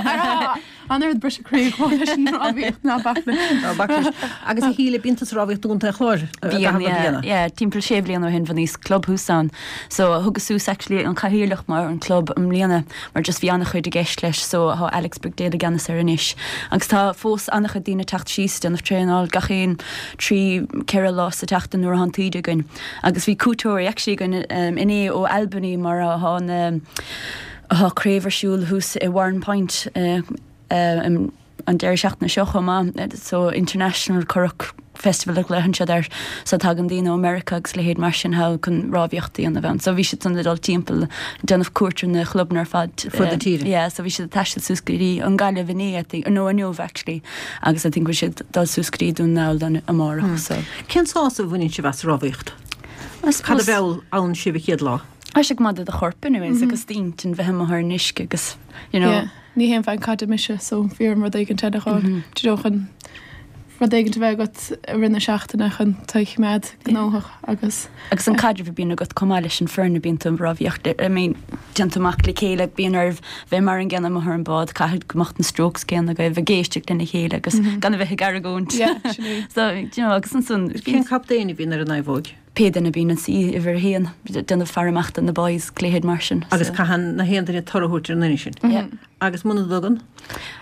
an oiread briseadh croí ag gabháil leis an rámhaíocht ná bac leis. Ná bac leis. Agus a Shíle bíonn tú ag rámhaíocht do Chontae an Chláir Bíonn, yeah, yeah, timpeall sé bliana ó shin bhunaíos club thuas ann. So thugas suas actually an cathaoirleach mar an club i mbliana mar just bhí an-chuid i gceist leis so tá Alex Brigdale i gceannas air anois. Agus tá fós an-chuid daoine teacht síos déanamh traenáil gach aon trí ceithre lá sa tseachtain nuair atá an taoide againn. Agus bhí cuairteoirí actually againn um, inné ó Albany mar atá na atá craobh ar siúl thuas i Warrenpoint uh, uh, um, an deireadh seachtaine seo chomh maith, so International Currach Festival a ghlaonn siad air so tagann daoine ó America agus leithéid mar sin thall chun rámhaíocht a dhéanamh ann. So bhí siad san dul timpeall déanamh cuairt ar na clubanna ar fad. Fud na tíre. Yeah, so bhí siad ag taisteal suas go dtí an Gaillimh inné I think, nó inniu actually agus I think bhí siad dul suas go dtí Dún na nGall amárach. So. Cén sásamh a bhaineann sibh as rámhaíocht? I Cad a suppose- mheall ann sibh an chéad lá? Tá sé go maith do do chorp anyways agus d'intinn bheith amuigh ar an uisce agus you know Yeah. Ní haon bhean caide mise so bhí orm rud éigin eile a fháil. Do you know, chun rud éigin a bheith agat i rith na seachtaine chun tú a choimeád gnóthach agus agus an caidreamh a bhíonn agat chomh maith leis an foireann a bíonn tú ag rámhaíocht I mean déanann tú amach le chéile bíonn oraibh bheith mar an gcéanna amuigh ar an bád caithfidh go mbeadh na strokes céanna agaibh ag éisteacht lena chéile agus gan a bheith ag argóint. Yeah, sin é. So you know agus ansan Cén captaen a bhíonn ar an naomhóg? pé duine bíonn an sí uimhir a haon déanamh faire amach do na boys léithéid mar sin. Agus so. caitheann na haon duine toradh a thabhairt ar an duine sin. Yeah. Agus muna dtugann?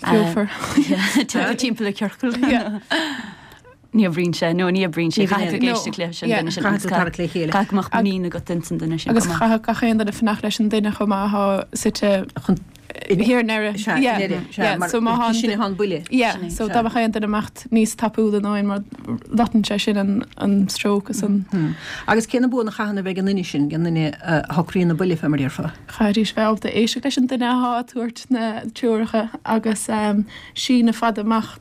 Feofar. Timpeall an ciorcal. Yeah. Ní oibríonn sé nó ní oibríonn sé Ní bhíonn caithfidh No. éisteacht leis an Yeah. duine sin Caithfidh tú tarrac le chéile. Caithfidh go mbeadh muinín agat insan duine sin. Agus chomh maith. chaithfeadh gach aon duine fanacht leis an duine chomh maith atá suite Chun thiar i ndeireadh. Sea, Yeah. i ndeireadh, sea, Yeah, mar so má sin thá'n- atá an buille. Yeah, Sin é, so sea. dá mbeadh aon duine imeacht níos tapúla nó aon mar loiteann sé sin an, an stroke agus an Hmm. Agus cé na buanna a chaithfidh a bheith ag an duine sin, an duine a shocraíonn na buille fé mar a déarfá. Chaithfidís bheith ábalta éisteacht leis an duine atá ag tabhairt na treoracha agus um, síneadh fada amach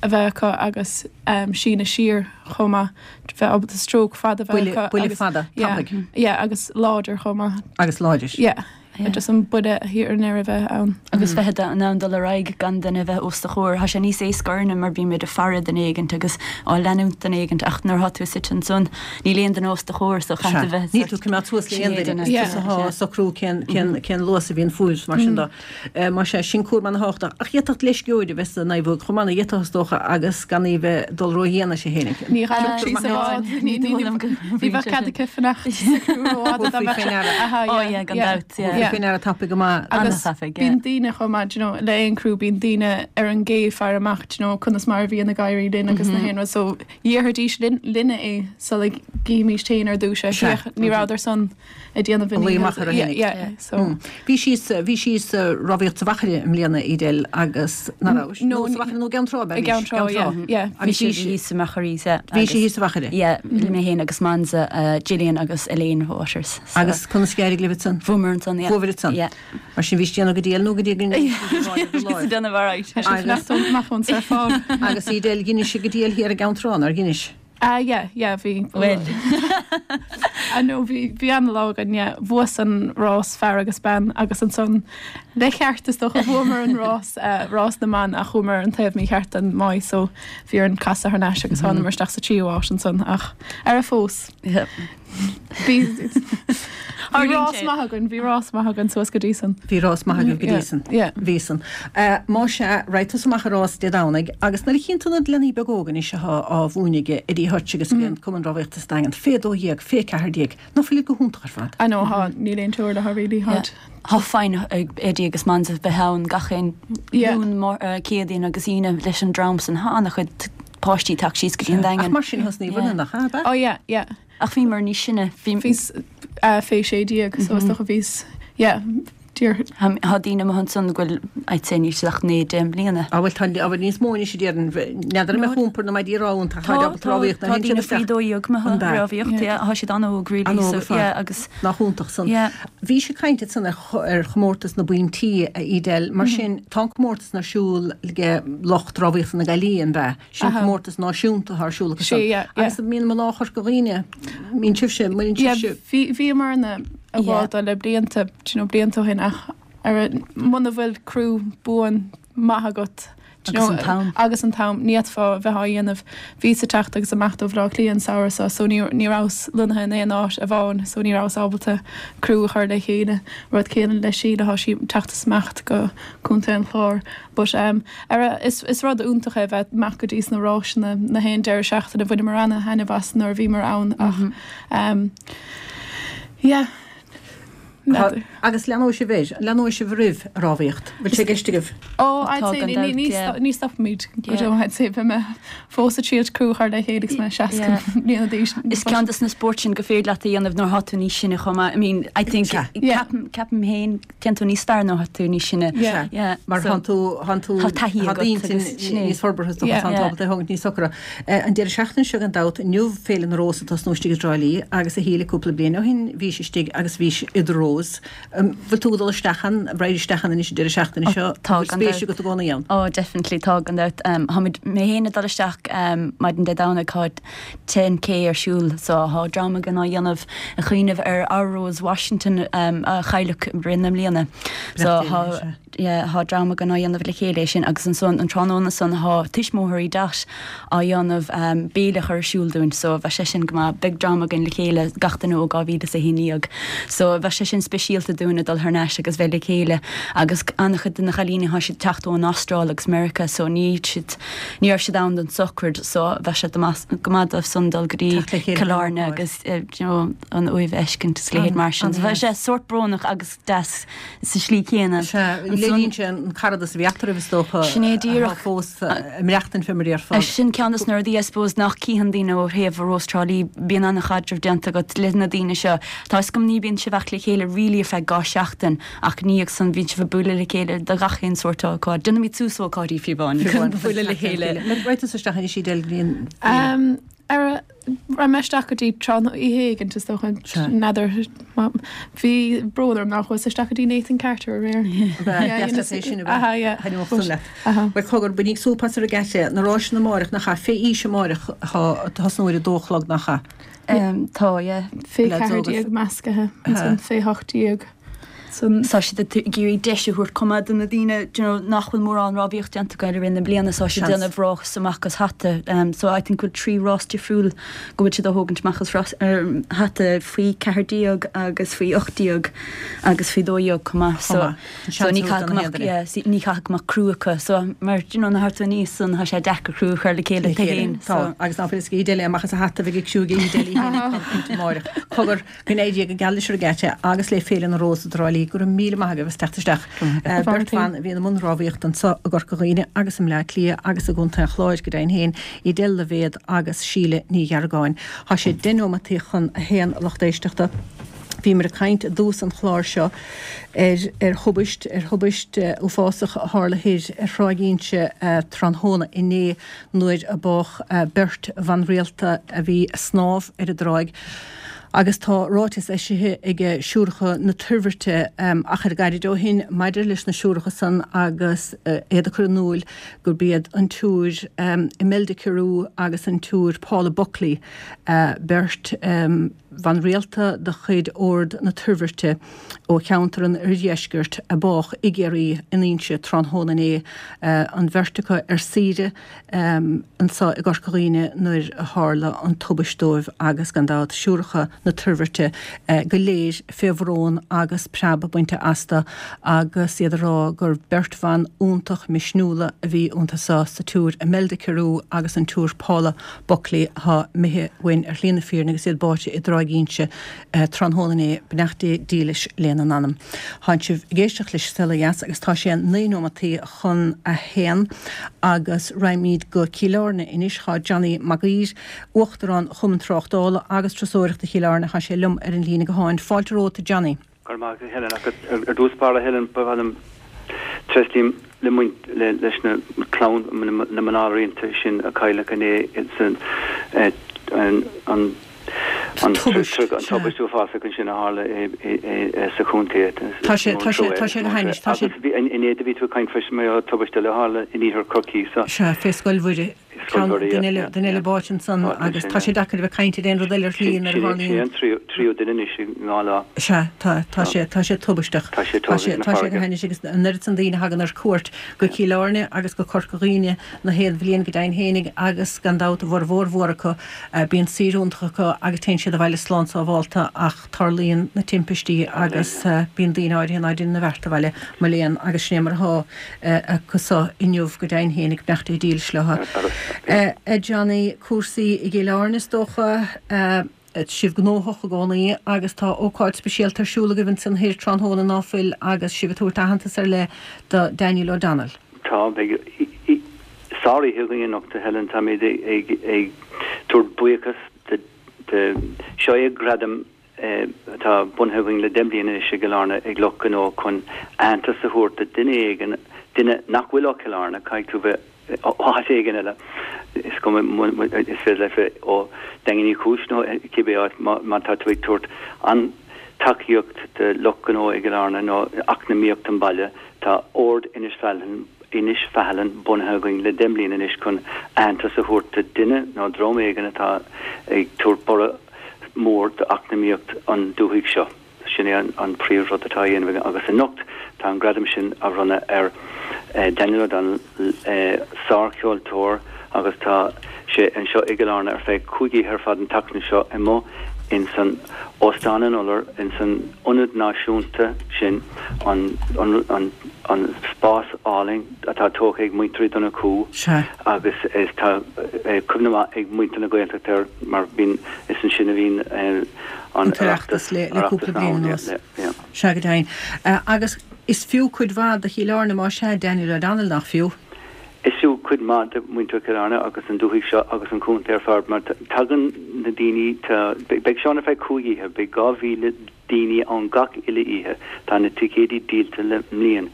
a bheith acu agus um, síneadh siar chomh maith bheith ábalta stroke fada bheith Buille acu buille agus- fada, yeah, tapaidh yeah, agus láidir chomh maith. agus láidir. Yeah, Yeah. just an buille thiar i ndeireadh bheith ann. Agus bheith in ann dul ar aghaidh gan duine bheith os do chomhair, Tá sé níos éasca orainne mar bímid ag faire duine éigint agus á leanúint duine éigint ach nuair atá tú suite ansan níl aon duine os do chomhair so chaithfidh bheith Ní tú coimeád suas le Sin aon é duine, duine. Yeah. atá socrú cén cén cén luas a bhíonn fúis mar sin de. Eh, Mar sé sin cúram an-tábhachtach. Ach d'fhéadfadh leisceoir a bheith sa naomhóg chomh maith d'fhéadfadh is dócha agus gan í bheith dul ródhian sé fhéinig. Ní ghaillimh sí sa bhád, ní ní dóigh liom go Ní bheadh cead aici fanacht sa criú rófhada dá Thabharfaí mbeadh faoi sé- ndeara. Aha, Oh, yeah, gan dabht, yeah. Yeah. Faoi ndeara tapaidh go maith. Agus An-tapaidh, yeah. bíonn daoine chomh maith, you know, le aon criú bíonn daoine ar an gcé faire amach, you know, conas mar a bhíonn ag éirí linn agus na haon rud. So dhéarfaidís linn linne é so like gímís féin ar dtús é. Sea. Féach, ní rabhadar san ag déanamh Luí amach ar a Yeah, tháinig. yeah, so Hmm. Bhí síos bhí síos rámhaíocht sa Mhachaire i mbliana Edel agus ná No, nó sa Mhachaire nó Ceann Trá i gCeann Trá, yeah, yeah. Agus Bhí bhí sí sí thíos sa Mhachaire, yeah. bhí sí thíos sa Mhachaire. Yeah, mé féin agus Mansa, uh, Gillian agus Elaine Waters. So. Agus conas a d'éirigh libh ansan. Bhuamar ansan, yeah. Bhuabhair ansan. Yeah. Mar sin bhí déanamh go diail nó go dtí Déanamh alright. Agus- amach ón surfáil. Agus Edel dheinis go diail thiar i gCeann Trá ar dheinis. Ah, yeah, yeah, bhí. Well. I know bhí bhí an-lá againn, yeah, bhuas an rás fear agus bean agus ansan le ceart is dócha bhuamar an rás uh, rás na mban ach chuamar an taobh mícheart den mbád so bhí an casadh thar n-ais agus thánamar isteach sa tríú háit ansan ach ar a fós. Yeah. Bhí bhí rás maith againn, bhí rás maith againn suas go dtí san. Bhí rás maith agaibh go Yeah, dtí san. yeah. Bhí san. Uh, Má sea raghaidh tusa amach ar rás Dé Domhnaigh agus nuair a chíonn tú na leanaí beaga óga anois atá á mhúineadh ag Eddie Hutch agus mm. Cumann Rámhaíochta sa Daingean fé dó dhéag fé ceathair déag ná fuil go hiontach ar fad. I know há níl aon teora le really hard. Tá fine ag Eddie agus Mansa bheith ann gach aon Yeah. Luan Céadaoin agus Aoine leis an dream san tá an-chuid páistí ag teacht síos go dtí an Ach Daingean. mar sin thosnaíobhair Yeah. nach ab ea? Oh yeah, yeah. Ach bhí mar níos sine bhí Bhís uh, fé sé déag so is dócha bhís yeah, Tá daoine amuigh ansan go bhfuil, I'd say, níl siad ach naoi deich mbliana. Á bhuel tá á bhfuil níos mó anois a déarfainn, n'fheadar an mbeadh iompar na maidí rámhaíochta, Tá, tá, tá daoine faoi dó dhéag amuigh An ea? rámhaíocht, yeah, tá siad an-óg really, An-óg so ar fad. yeah agus Nach iontach san. yeah. Bhís ag caint ansan ar ar chomórtas na bpointí, a Edel, mar sin tá an comórtas ar siúl ag lucht rámhaíochta na Gaillimhe, an ea? Sin Aha. comórtas náisiúnta atá ar siúl acu Sé, san. yeah, yeah. Agus mbíonn mná Chorca Dhuibhne, mbíonn sibhse, mbíonn Yeah, sibhse. bhí bhíomarna a Yeah. bháda le blianta, do you know, blianta ó shin ach ar muna bhfuil criú buan maith agat do you Agus know, an t-am. agus an t-am ní fhéadfá bheith á dhéanamh bhíos ag teacht agus amach ó Bhleá Cliath an samhradh so so ní ní rabhas lonnaithe in aon áit amháin so ní rabhas ábalta criú a chur le chéile rud céanna le Síle tá sí teacht amach go Contae an Chláir but um, ar a, is, is rud iontach é bheith amach go dtí na rásanna na haon deireadh seachtaine bhaineamar an-taitneamh as nuair a bhíomar ann ach um, yeah Tá- Agus leanfaidh sibh air, leanfaidh sibh roimh rámhaíocht. Bhfuil sé i gceist agaibh? Oh, I'd Tá say gan ní dabht, ní yeah. ní stopfaimid go Yeah. deo I'd say bheidh mé fós ag triail criú a chur le chéile agus mé seasca Yeah. bliana d'aois. Is ceann des na spóirt sin go féidir leat a dhéanamh nuair atá tú níos sine chomh maith. I mean, I think Sea. Yeah. ceapaim ceapaim féin téann tú níos fearr nuair atá tú níos sine. Yeah. Yeah. Mar so- tánn tú tánn tú Tá taithí tá agat daoine agus sin é. níos forbartha Yeah. tá Yeah. ábalta é thógaint níos socra. Eh, An deireadh seachtaine seo gan dabht inniu Féile na Rós atá istigh i dTrá Lí agus a Shíle cúpla bliain ó shin bhís istigh agus bhís idir rós. Bhfuil tú dul isteach ann raghaidh isteach ann anois an deireadh seachtaine seo tá Bhfuil gan spéis dabht. agat i gcónaí ann. Oh, definitely tá gan dabht. Um, Táimid mé féin ag dul isteach um, maidin Dé Domhnaigh tá ten K ar siúl so tá dream againn á dhéanamh a chuimhneamh ar our Rose Washington um, a chailleadh i rith na mbliana. So Beannacht Dé tá leis, sea. yeah, tá dream againn á dhéanamh le chéile sin agus ansan an tráthnóna san tá tuismitheoirí Dot á dhéanamh um, béile ar siúl dúinn, so bheidh sé sin go maith beidh dream againn le chéile gach duine ó dhá mhíle is a haon déag. So bheidh sé sin speisialta dúinn dul thar n-ais agus bheith le chéile agus an-chuid de na cailíní tá siad teacht ón Astráil agus America so ní siad ní raibh siad ann don sochraid so bheidh sé go maith dóibh san dul go dtí Teacht le chéile Cill Airne don ócáid. agus eh, you know, an uaimh a fheiscint is leithéid mar sin. So bheidh sé sórt brónach agus deas sa slí céanna. Léiríonn sé an caradas a bhí eatarthu is dócha Sin é díreach. fós maireachtaint fé mar ar Is sin ceann des na rudaí I suppose nach cíonn daoine ó thaobh Rós Trá Lí bíonn an-chaidreamh déanta agat le na daoine seo. Tá is go ní bíonn sibh ach le chéile really ar feadh dhá seachtain ach ní ag san bhíonn sibh ag bualadh le chéile do gach aon sórt ócáid. Déanaimid suas ócáidí fiú amháin chun bualadh le chéile. Raghaidh tú isteach anois Edel bhíonn Um, ar raibh mé isteach go dtí tráth oíche éigin is dócha Sea. n'fheadar bhí brón orm nach chuas isteach go dtí Nathan Carter aréir. sin Aha, yeah. le. Aha. Well cogar bainigí súp as an regatta na rásanna amárach nach ea fé aois amárach tosnóidh a dó a chlog nach ea. Um, tá yeah. Fé Leads ceathair óga. déag measctha an fé hocht déag. San Tá siad ag iarraidh deis a thabhairt chomh maith do na daoine you know, nach bhfuil mórán rámhaíocht déanta acu i rith na bliana so siad Seans. déanamh rás amach as hata. Um, so I think bhfuil trí rás difriúil go bhfuil siad á thógaint amach as rás, um, hata faoi ceathair déag agus faoi ocht déag agus faoi dó dhéag chomh maith. So, Chomh maith. so ní Seans caithfidh don go mbeadh- chéad duine. yeah, sí- ní caithfidh go mbeadh criú acu. So mar you know, na harta níos san tá sé deacair criú a chur le chéile tú féin. Tá So, agus ná féidir Edel amach as a hata bheith ag siúl Edel amárach. Cogar go n-éirí go geal leis an regatta agus le Féile na Rós i dTrá Lí go raibh míle maith agaibh as teacht isteach. Eh, Beirt bhan a bhí i mbun rámhaíocht anseo i gCorca Dhuibhne agus i mBleá Cliath agus i gContae an Chláir go deimhin féin Edel Loibhéad agus Síle Ní Gheargáin. Tá sé deich nóimeataí chun a haon lucht éisteachta. Bhíomar ag caint i dtús an chláir seo ar ar thubaist ar thubaist uh, uafásach a tharla thoir ar Thráigh Inse uh, tráthnóna inné nuair a bádh uh, beirt bhan rialta a bhí ag snámh ar an dtráigh. Agus tá ráiteas eisithe ag Siúracha na Toirbhirte um, achar gairid ó shin maidir leis na siúracha san agus uh, iad a chur in iúl gurb iad an tSiúr um, Imelda Carew agus an tSiúr Paula Buckley uh, beirt um, bhan rialta de chuid Ord na Toirbhirte ó cheantar an Oirdheiscirt a bádh i gCiarraí in Inse tráthnóna inné uh, an bheirt acu ar saoire um, anseo i gCorca Dhuibhne nuair a tharla an tubaist dóibh agus gan dabht Siúracha na Toirbhirte uh, go léir fé bhrón agus preab bainte astu agus iad ag rá gur beirt bhan iontach misniúla a bhí iontu sa sa tSiúr Imelda Carew agus an tSiúr Paula Buckley atá imithe uainn ar shlí na fírinne agus iad báite i dTráigh Inse uh, tráthnóna inné beannacht Dé dílis lena n-anam. Tá sibh ag éisteacht leis Saol Ó Dheas agus tá sé naoi nóimeataí chun a haon agus raghaimid go Cill Airne anois tá Johnny Mag Uidhir, Uachtarán Chumann Tráchtála agus Turasóireachta Chill Airne tá sé liom ar an líne gutháin. Fáilte romhat Johnny. Go raibh maith agat a Helen, ach ar dtús báire a Helen, ba mhaith liom tréaslím le muint leis na clann na mná araonta sin a cailleadh inné san an an tubaist uafásach ansin a tharla sa chontae. Tá sé tá sé tá sé go hainnis tá sé. Agus inné do bhí tú ag caint freisin mar gheall ar tubaist eile a tharla in iarthar Chorcaí sa. Sea, fé Scoil Mhuire. Ceann duine eile duine eile báite ansan agus tá sé deacair a bheith ag caint ar aon rud eile ar shlí nuair a tharlaíonn. Sin é an tríú duine anois i ndhá lá. Sea, tá, tá sé, tá sé tubaisteach. Tá sé Tá sé, tá sé go hainnis agus an oiread san daoine a thagann ar cuairt go Cill Airne agus go Corca Dhuibhne na haon bhliain go deimhin fhéinig agus gan dabht a bhformhór mhór acu bíonn saoire iontach acu agus téann siad abhaile slán sábhálta ach tarlaíonn na timpistí agus bíonn daoine áirithe ná deineann a bheart abhaile, mo léan, agus sin é mar atá acu so inniu go deimhin fhéinig, beannacht Dé dílis leo. A Johnny, cúrsaí i gCill Airne is dócha, sibh gnóthach i gcónaí agus tá ócáid speisialta ar siúl agaibh ansan thoir tráthnóna ná fuil agus sibh ag tabhairt aitheantas ar leith do Daniel O'Donnell. Tá, beidh sároíche againn anocht a Helen, táimid ag tabhairt buíochas do, seo é gradam atá bunaithe againn le deich mbliana anois i gCill Airne ag lucht gnó chun aitheantas a thabhairt do duine éigin, duine nach bhfuil ó Chill Airne, caithfidh tú bheith ó áit éigin eile, is cuma, is féidir leat bheith ó Daingean Uí Chúis nó cibé áit, má tá tú ag tabhairt an-tacaíocht do lucht gnó i gCill Airne nó eacnamaíocht an bhaile, tá Ord Inis Faithleann, Inis Faithleann bunaithe againn le deich mbliana anois chun aitheantas a thabhairt do duine nó dream éigin atá ag tabhairt borradh mór d'eacnamaíocht an dúthaigh seo. Sin é an príomhrud atá á dhéanamh againn agus anocht tá an gradam sin á bhronnadh ar Daniel O'Donnell, sárcheoltóir agus tá sé anseo i gCill Airne ar feadh cúig oíche ar fad an tseachtain seo amuigh ins an Óstán an Iolair, ins an Ionad Náisiúnta sin, an an spás álainn atá tógtha ag muintir Uí Dhonnchú agus is tá cuimhne mhaith ag muintir na Gaeltachta air mar bíonn, is ansin a bhíonn an tOireachtas le cúpla bliain anuas. Sea go deimhin. Agus is fiú cuid mhaith do Chill Airne más ea Daniel O'Donnell, nach fiú? Is fiú cuid mhaith do mhuintir Chill Airne agus an dúthaigh seo agus an contae ar fad mar tagann na daoine, tá, beidh sé ann ar feadh cúig oíche, beidh dhá mhíle daoine ann gach uile oíche, tá na ticéidí díolta le bliain.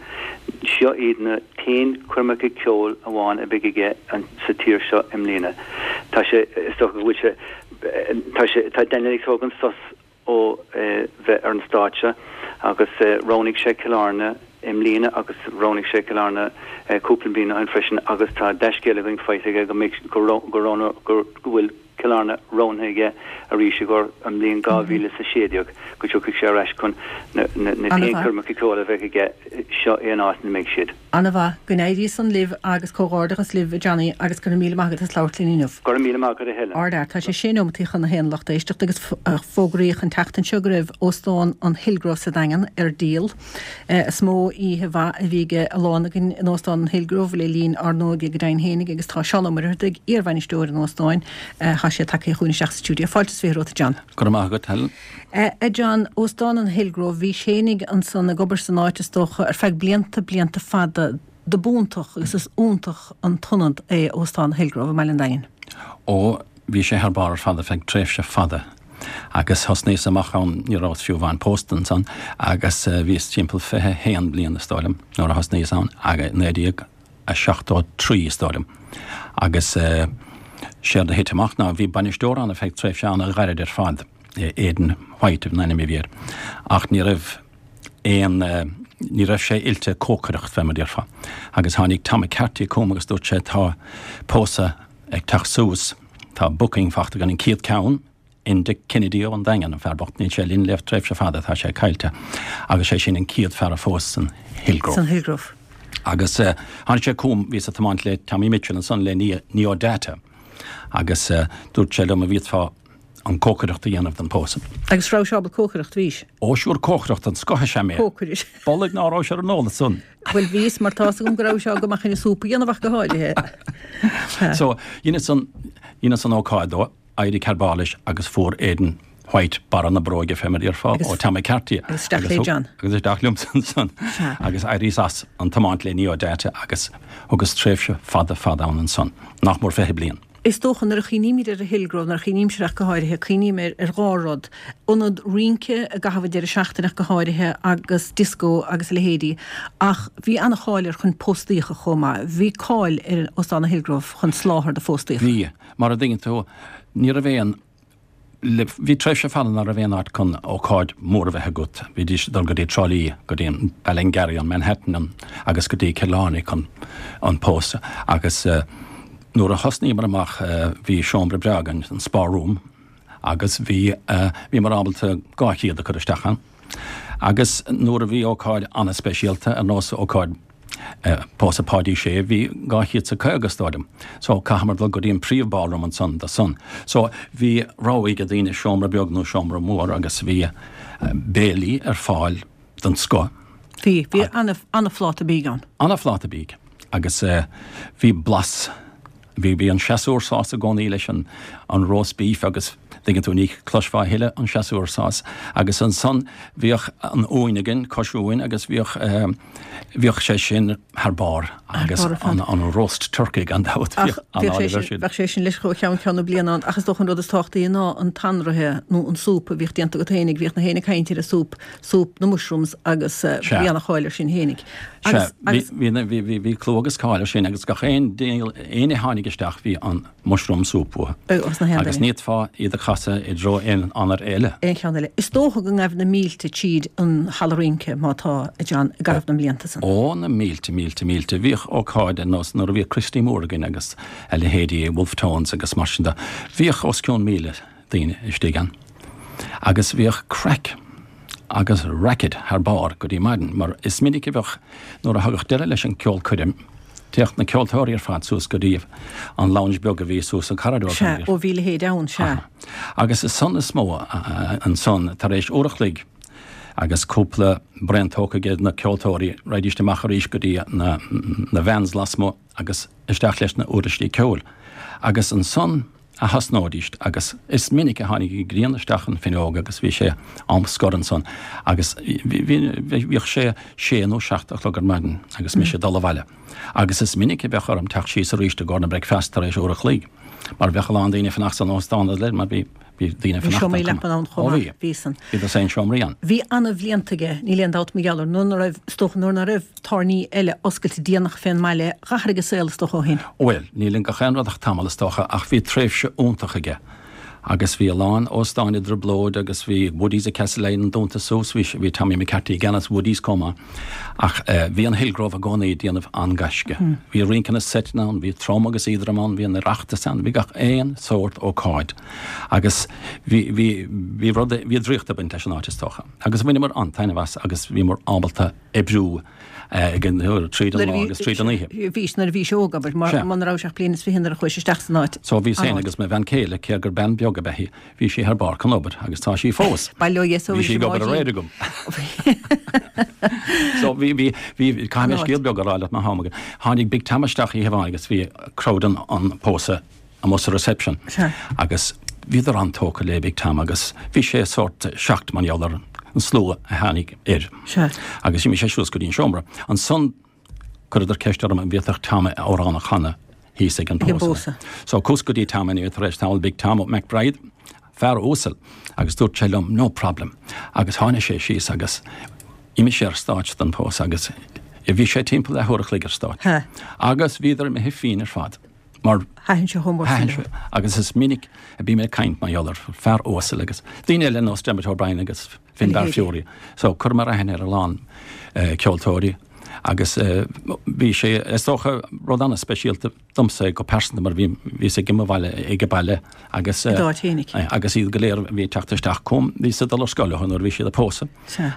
Seo iad na t-aon choirmeacha ceoil amháin a bheidh aige sa tír seo i mbliana. Tá sé, is dócha go bhfuil sé, tá sé, tá Daniel ag tógaint sos ó bheith ar an stáitse agus roghnaigh sé Cill Airne i mbliana agus roghnaigh sé Cill Airne cúpla bliain ó shin freisin agus tá dea-scéal againn faighte aige go mbeidh go go go bhfuil Cill Airne roghnaithe aige arís i gcomhair an bhliain dhá mhíle is a sé déag go dtiocfaidh sé ar ais chun na na na t-aon choirmeacha ceoil a bheidh aige seo é an áit ina mbeidh siad. Ana-mhaith. Go n-éirí san libh agus comhghairdeachas libh a Johnny agus go raibh míle maith agat as labhairt linn inniu. Go raibh míle maith agat a Helen. Ardfhear. Tá sé sé neomataí chun a haon lucht éisteachta agus fógraíodh an tseachtain seo go raibh Óstán an Hillgrove sa Daingean ar díol. Is mó oíche mhaith a bhí ag a lán againn in Óstán an Hillgrove le linn ár n-óige go deimhin fhéinig agus tá Seán Ó Muircheartaigh, iarbhainisteoir an óstáin, tá sé tagtha chugainn isteach sa stiúideo. Fáilte is fiche romhat a John. Go raibh maith agat Helen. A John, Óstán an Hillgrove, bhís fhéinig ansan ag obair san áit is dócha ar feadh blianta, blianta fada. Dob iontach agus is iontach an t-ionad é Óstán Hillgrove i mBaile an Daingin. Ó, bhí sé thar barr ar fad ar feadh tréimhse fada agus thosnaíos amach ann, ní rabhas fiú amháin pósta ansan agus bhíos timpeall fiche haon bliain is dóigh liom nuair a thosnaíos ann, agus naoi déag a seachtó trí is dóigh liom agus séard a thit amach ná bhí bainisteoir ann ar feadh tréimhse an-ghairid ar fad. Aidan White an ainm a bhí air, ach ní raibh aon, ní raibh sé oilte cócaireacht, fé mar a déarfá. Agus tháinig Tom McCarthy chugam agus dúirt sé tá pósadh ag teacht suas, tá booking fachta againn, an chéad ceann, Enda Kennedy ón Daingean, an fear bocht, níl sé linn le tréimhse fada, tá sé caillte, agus sé sin an chéad fear a phós san Hillgrove. San Hillgrove. Agus tháinig sé chugam, bhíos ag tiomáint le Tommy Mitchell ansan le Neo Data, agus dúirt sé liom an bhféadfá an cócaireacht a dhéanamh don pósadh. Agus raibh sé ábalta cócaireacht, bhís? Ó siúr cócaireacht den scoth is ea mé. Cócaire. Bolg ná raibh sé ar an eolas san. Bhuel bhíos, mar tá's agam go raibh sé go maith chun súp a dhéanamh ach go háirithe. So, dheineas an, dheineas an ócáid dó, d'éirigh thar barr leis agus fuair Aidan White barra na bróige fé mar a déarfá ó Tom McCarthy. Agus isteach le John. Agus isteach liomsa ansan. Agus d'éiríos as an tiomáint le Neo Data agus thugas tréimhse fada fada ann ansan, nach mór fiche bliain. Is dócha nuair a chuimhnímid ar an Hillgrove, nuair a chuimhnímse ach go háirithe, cuimhním ar ar dhá rud, ionad rince i gcaitheamh an deireadh seachtaine ach go háirithe agus dioscó agus a leithéidí ach bhí an-cháil air chun póstaíocha chomh maith. Bhí cáil ar Óstán an Hillgrove chun soláthar do phóstaíocha. Bhí. Mar a dtuigeann tú, ní raibh aon le, bhí tréimhse fada nach raibh aon áit chun ócáid mhór a bheith agat. Bhídís ag dul go dtí Trá Lí, go dtí an Ballingarry, an Manhattan an, agus go dtí Cill Airne chun an pósadh. Agus eh, nuair a thosnaíomar amach eh, bhí seomra breá againn, an Spa Room, agus bhí eh, bhíomar ábalta dhá chéad a chur isteach ann. Agus nuair a bhí ócáid an-speisialta, ar nós ócáid Pósadh Páidí Sé, bhí dhá chéad is a caoga is dóigh liom. So chaitheamar dul go dtí an príomh ballroom ansan do san. So bhí rogha ag daoine seomra beag nó seomra mór agus bhí béilí ar fáil den scoth. Bhí, bhí an-phláta bídh ann. An-phláta bídh agus bhí blas, bhí, bhí an séasúr sauce i gcónaí leis an, an roast beef agus dtuigeann tú ní chloisfeá a thuilleadh an séasúr sauce agus ansan bhíodh an uain againn, cois uain agus bhíodh bhíodh sé sin thar barr agus an an roast turkey gan dabht bhíodh an-áireamh air sin. Bheadh sé sin leis ó cheann ceann na bliana ann ach is dócha an rud is tábhachtaí ná an t-anraithe nó an súp a bhíodh déanta agat fhéinig, bhíodh na héinne ag caint ar an súp, súp na mushrooms agus bhí an-cháil air sin fhéinig. Sea, bhí bhí bhí bhí clú agus cáil air sin agus gach aon éinne a tháinig isteach bhí an mushroom soup uathu. Agus ní fhéadfá iad a chasadh i dtreo aon anair eile. Aon cheann eile. Is dócha go ngaibh na mílte tríd an halla rince, má tá, a John, i gcaitheamh na mblianta san. Ó, na mílte, mílte, mílte. Bhíodh ócáid ar nós nuair a bhíodh Christy Moore againn agus a leithéidí, Wolfe Tones agus mar sin de. Bhíodh os cionn míle daoine istigh ann. Agus bhíodh craic agus racket thar barr go dtí maidin, mar is minic a bheadh, nuair a thagadh deireadh leis an gceolchoirm, Théadh na ceoltóirí ar fad suas go dtí an lounge beag a bhí suas an corridor. Sea, ó bhí a leithéid ann, sea. Agus is san is mó ansan, tar éis uair a chloig agus cúpla braon tógtha ag na ceoltóirí, raghaidís amach arís go dtí na na vans lasmuigh agus isteach leis na uirlisí ceoil. Agus ansan a thosnóidís agus is minic a tháinig an ghrian isteach an fhuinneog agus bhí sé am scor ansan agus bhíodh sé sé nó seacht a chlog ar maidin agus mise ag dul abhaile agus is minic a bheadh orm teacht síos arís i gcomhair na bricfeasta tar éis uair a chloig mar bheadh a lán daoine ag fanacht san óstán leis mar bhí bhí daoine ag Bhí fanacht seomraí ann leapan ann chomh Ó maith, bhí. bhí san. Bhí dosaen seomraí ann. Bhí ana-bhlianta aige, níl aon dabht mar gheall air, nuair ná raibh, is dócha, nuair ná raibh tábhairní eile oscailte déanach fén mbaile, dh'athraigh an saol is dócha ó shin. Bhuel, níl in gach aon rud ach tamall is dócha, ach bhí tréimhse iontach aige. Agus bhí a lán óstáin i dtrioblóid agus bhí Woodies i Castlelyons dúnta suas, bhí, bhí Tommy McCarthy i gceannas Woodies chomh maith. Ach bhí an Hillgrove i gcónaí ag déanamh an-gaisce. Bhí rince na seiteanna ann, bhí trom agus éadrom ann, bhí an Oireachtas ann, bhí gach aon sórt ócáid. Agus bhí, bhí, bhí rud, bhí draíocht ag baint leis an áit is dócha. Agus bhaineamar an-taitneamh as agus bhíomar ábalta oibriú ag an, tríd an lá agus tríd an oíche. Bhís, nuair a bhís óg, abair, mar muna rabhais ach bliain is fiche nuair a chuais isteach san áit. So bhíos féin agus mo bhean chéile, cé gur bean beag ab ea í, bhí sí thar barr chun obair agus tá sí fós. Bail ó Dhia, so bhí sí ag obair aréir agam. So bhí, bhí, bhí, caithfidh mé scéal beag a rá leat má tá am agat. Tháinig Big Tom isteach oíche amháin agus bhí crowd an, an pósadh amuigh sa reception. Agus bhíodar an-tógtha le Big Tom agus bhí sé sórt shocked mar gheall ar an slua a tháinig air. Agus d'imigh sé suas go dtí an seomra. Ansan chuireadar ceist orm an bhféadfadh Tom amhrán a chanadh thíos ag an pósadh. So chuas go dtí Tom anyway tar éis tamaill, Big Tom McBride, fear uasal, agus dúirt sé liom no problem. Agus tháinig sé síos agus d'imigh sé ar stáitse don pósadh agus bhí sé timpeall leathuair a chloig ar stáitse. Agus bhíodar imithe fínn ar fad. Mar Thaitin sé chomh mór sin thaitin sé agus is minic a bím ag caint mar gheall ar fear uasal agus daoine eile nós Dermot O'Brien agus Finbar Furey. So chuireamar aithne ar a lán ceoltóirí agus bhí sé is dócha rud an-speisialta domsa go pearsanta mar bhí bhíos ag mo bhaile ag baile agus I d'áit fhéinig. agus iad go léir a bhí ag teacht isteach chugam bhíos ag dul ar scoil leo nuair a bhí siad ag pósadh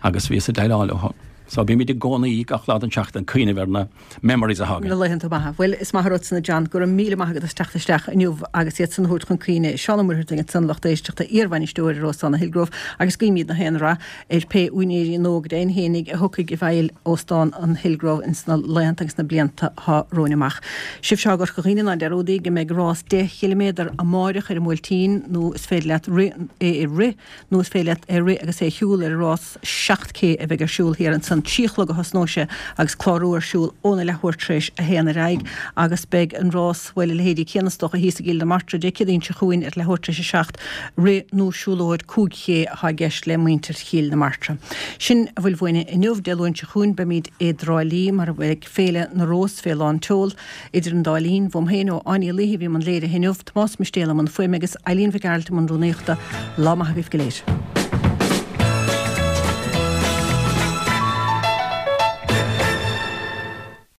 agus bhíos ag déileáil leo. So bímid i gcónaí gach lá den tseachtain ag cuimhneamh ar na memories atá againn. Na laethanta maithe. Bhuel, is maith an rud san a John, go raibh míle maith agat as teacht isteach inniu agus iad san a thabhairt chun cuimhne. Seán Ó Muircheartaigh ansan, lucht éisteachta, iarbhainisteoir ar Óstán an Hillgrove agus guímid gach aon rath ar pé úinéirí nó go deimhin fhéinig a thiocfaidh i bhfeighil Óstán an Hillgrove ins na laethanta agus na blianta atá romhainn amach. Sibh seo i gCorca Dhuibhne, ná dearúdaigí go mbeidh rás deich chiliméadar amáireach ar an mBuailtín nó is féidir leat rith é a rith nó is féidir leat é a rith agus é a shiúl ar an rás seacht K a bheidh ar siúl thiar ansan. ansan. Trí a chlog a thosnóidh sé agus clárú ar siúl óna leathuair tar éis a haon ar aghaidh agus beidh an rás, bhuel, a leithéidí céanna is dócha, thíos i gCill na Martra Dé Céadaoin seo chugainn ar leathuair tar éis a seacht, rith nó siúlóid cúig ché atá i gceist le muintir Chill na Martra. Sin a bhfuil uainne inniu. Dé Luain seo chugainn beimid i dTrá Lí mar a bheidh Féile na Rós fé lán tseol. Idir an dá linn, uaim féin ó Áine Ní Laoithe a bhí i mbun léirithe inniu, Tomás Mistéal i mbun fuaime agus Eileen Mhic Gearailt i mbun rúnaíochta. Lá maith agaibh go léir.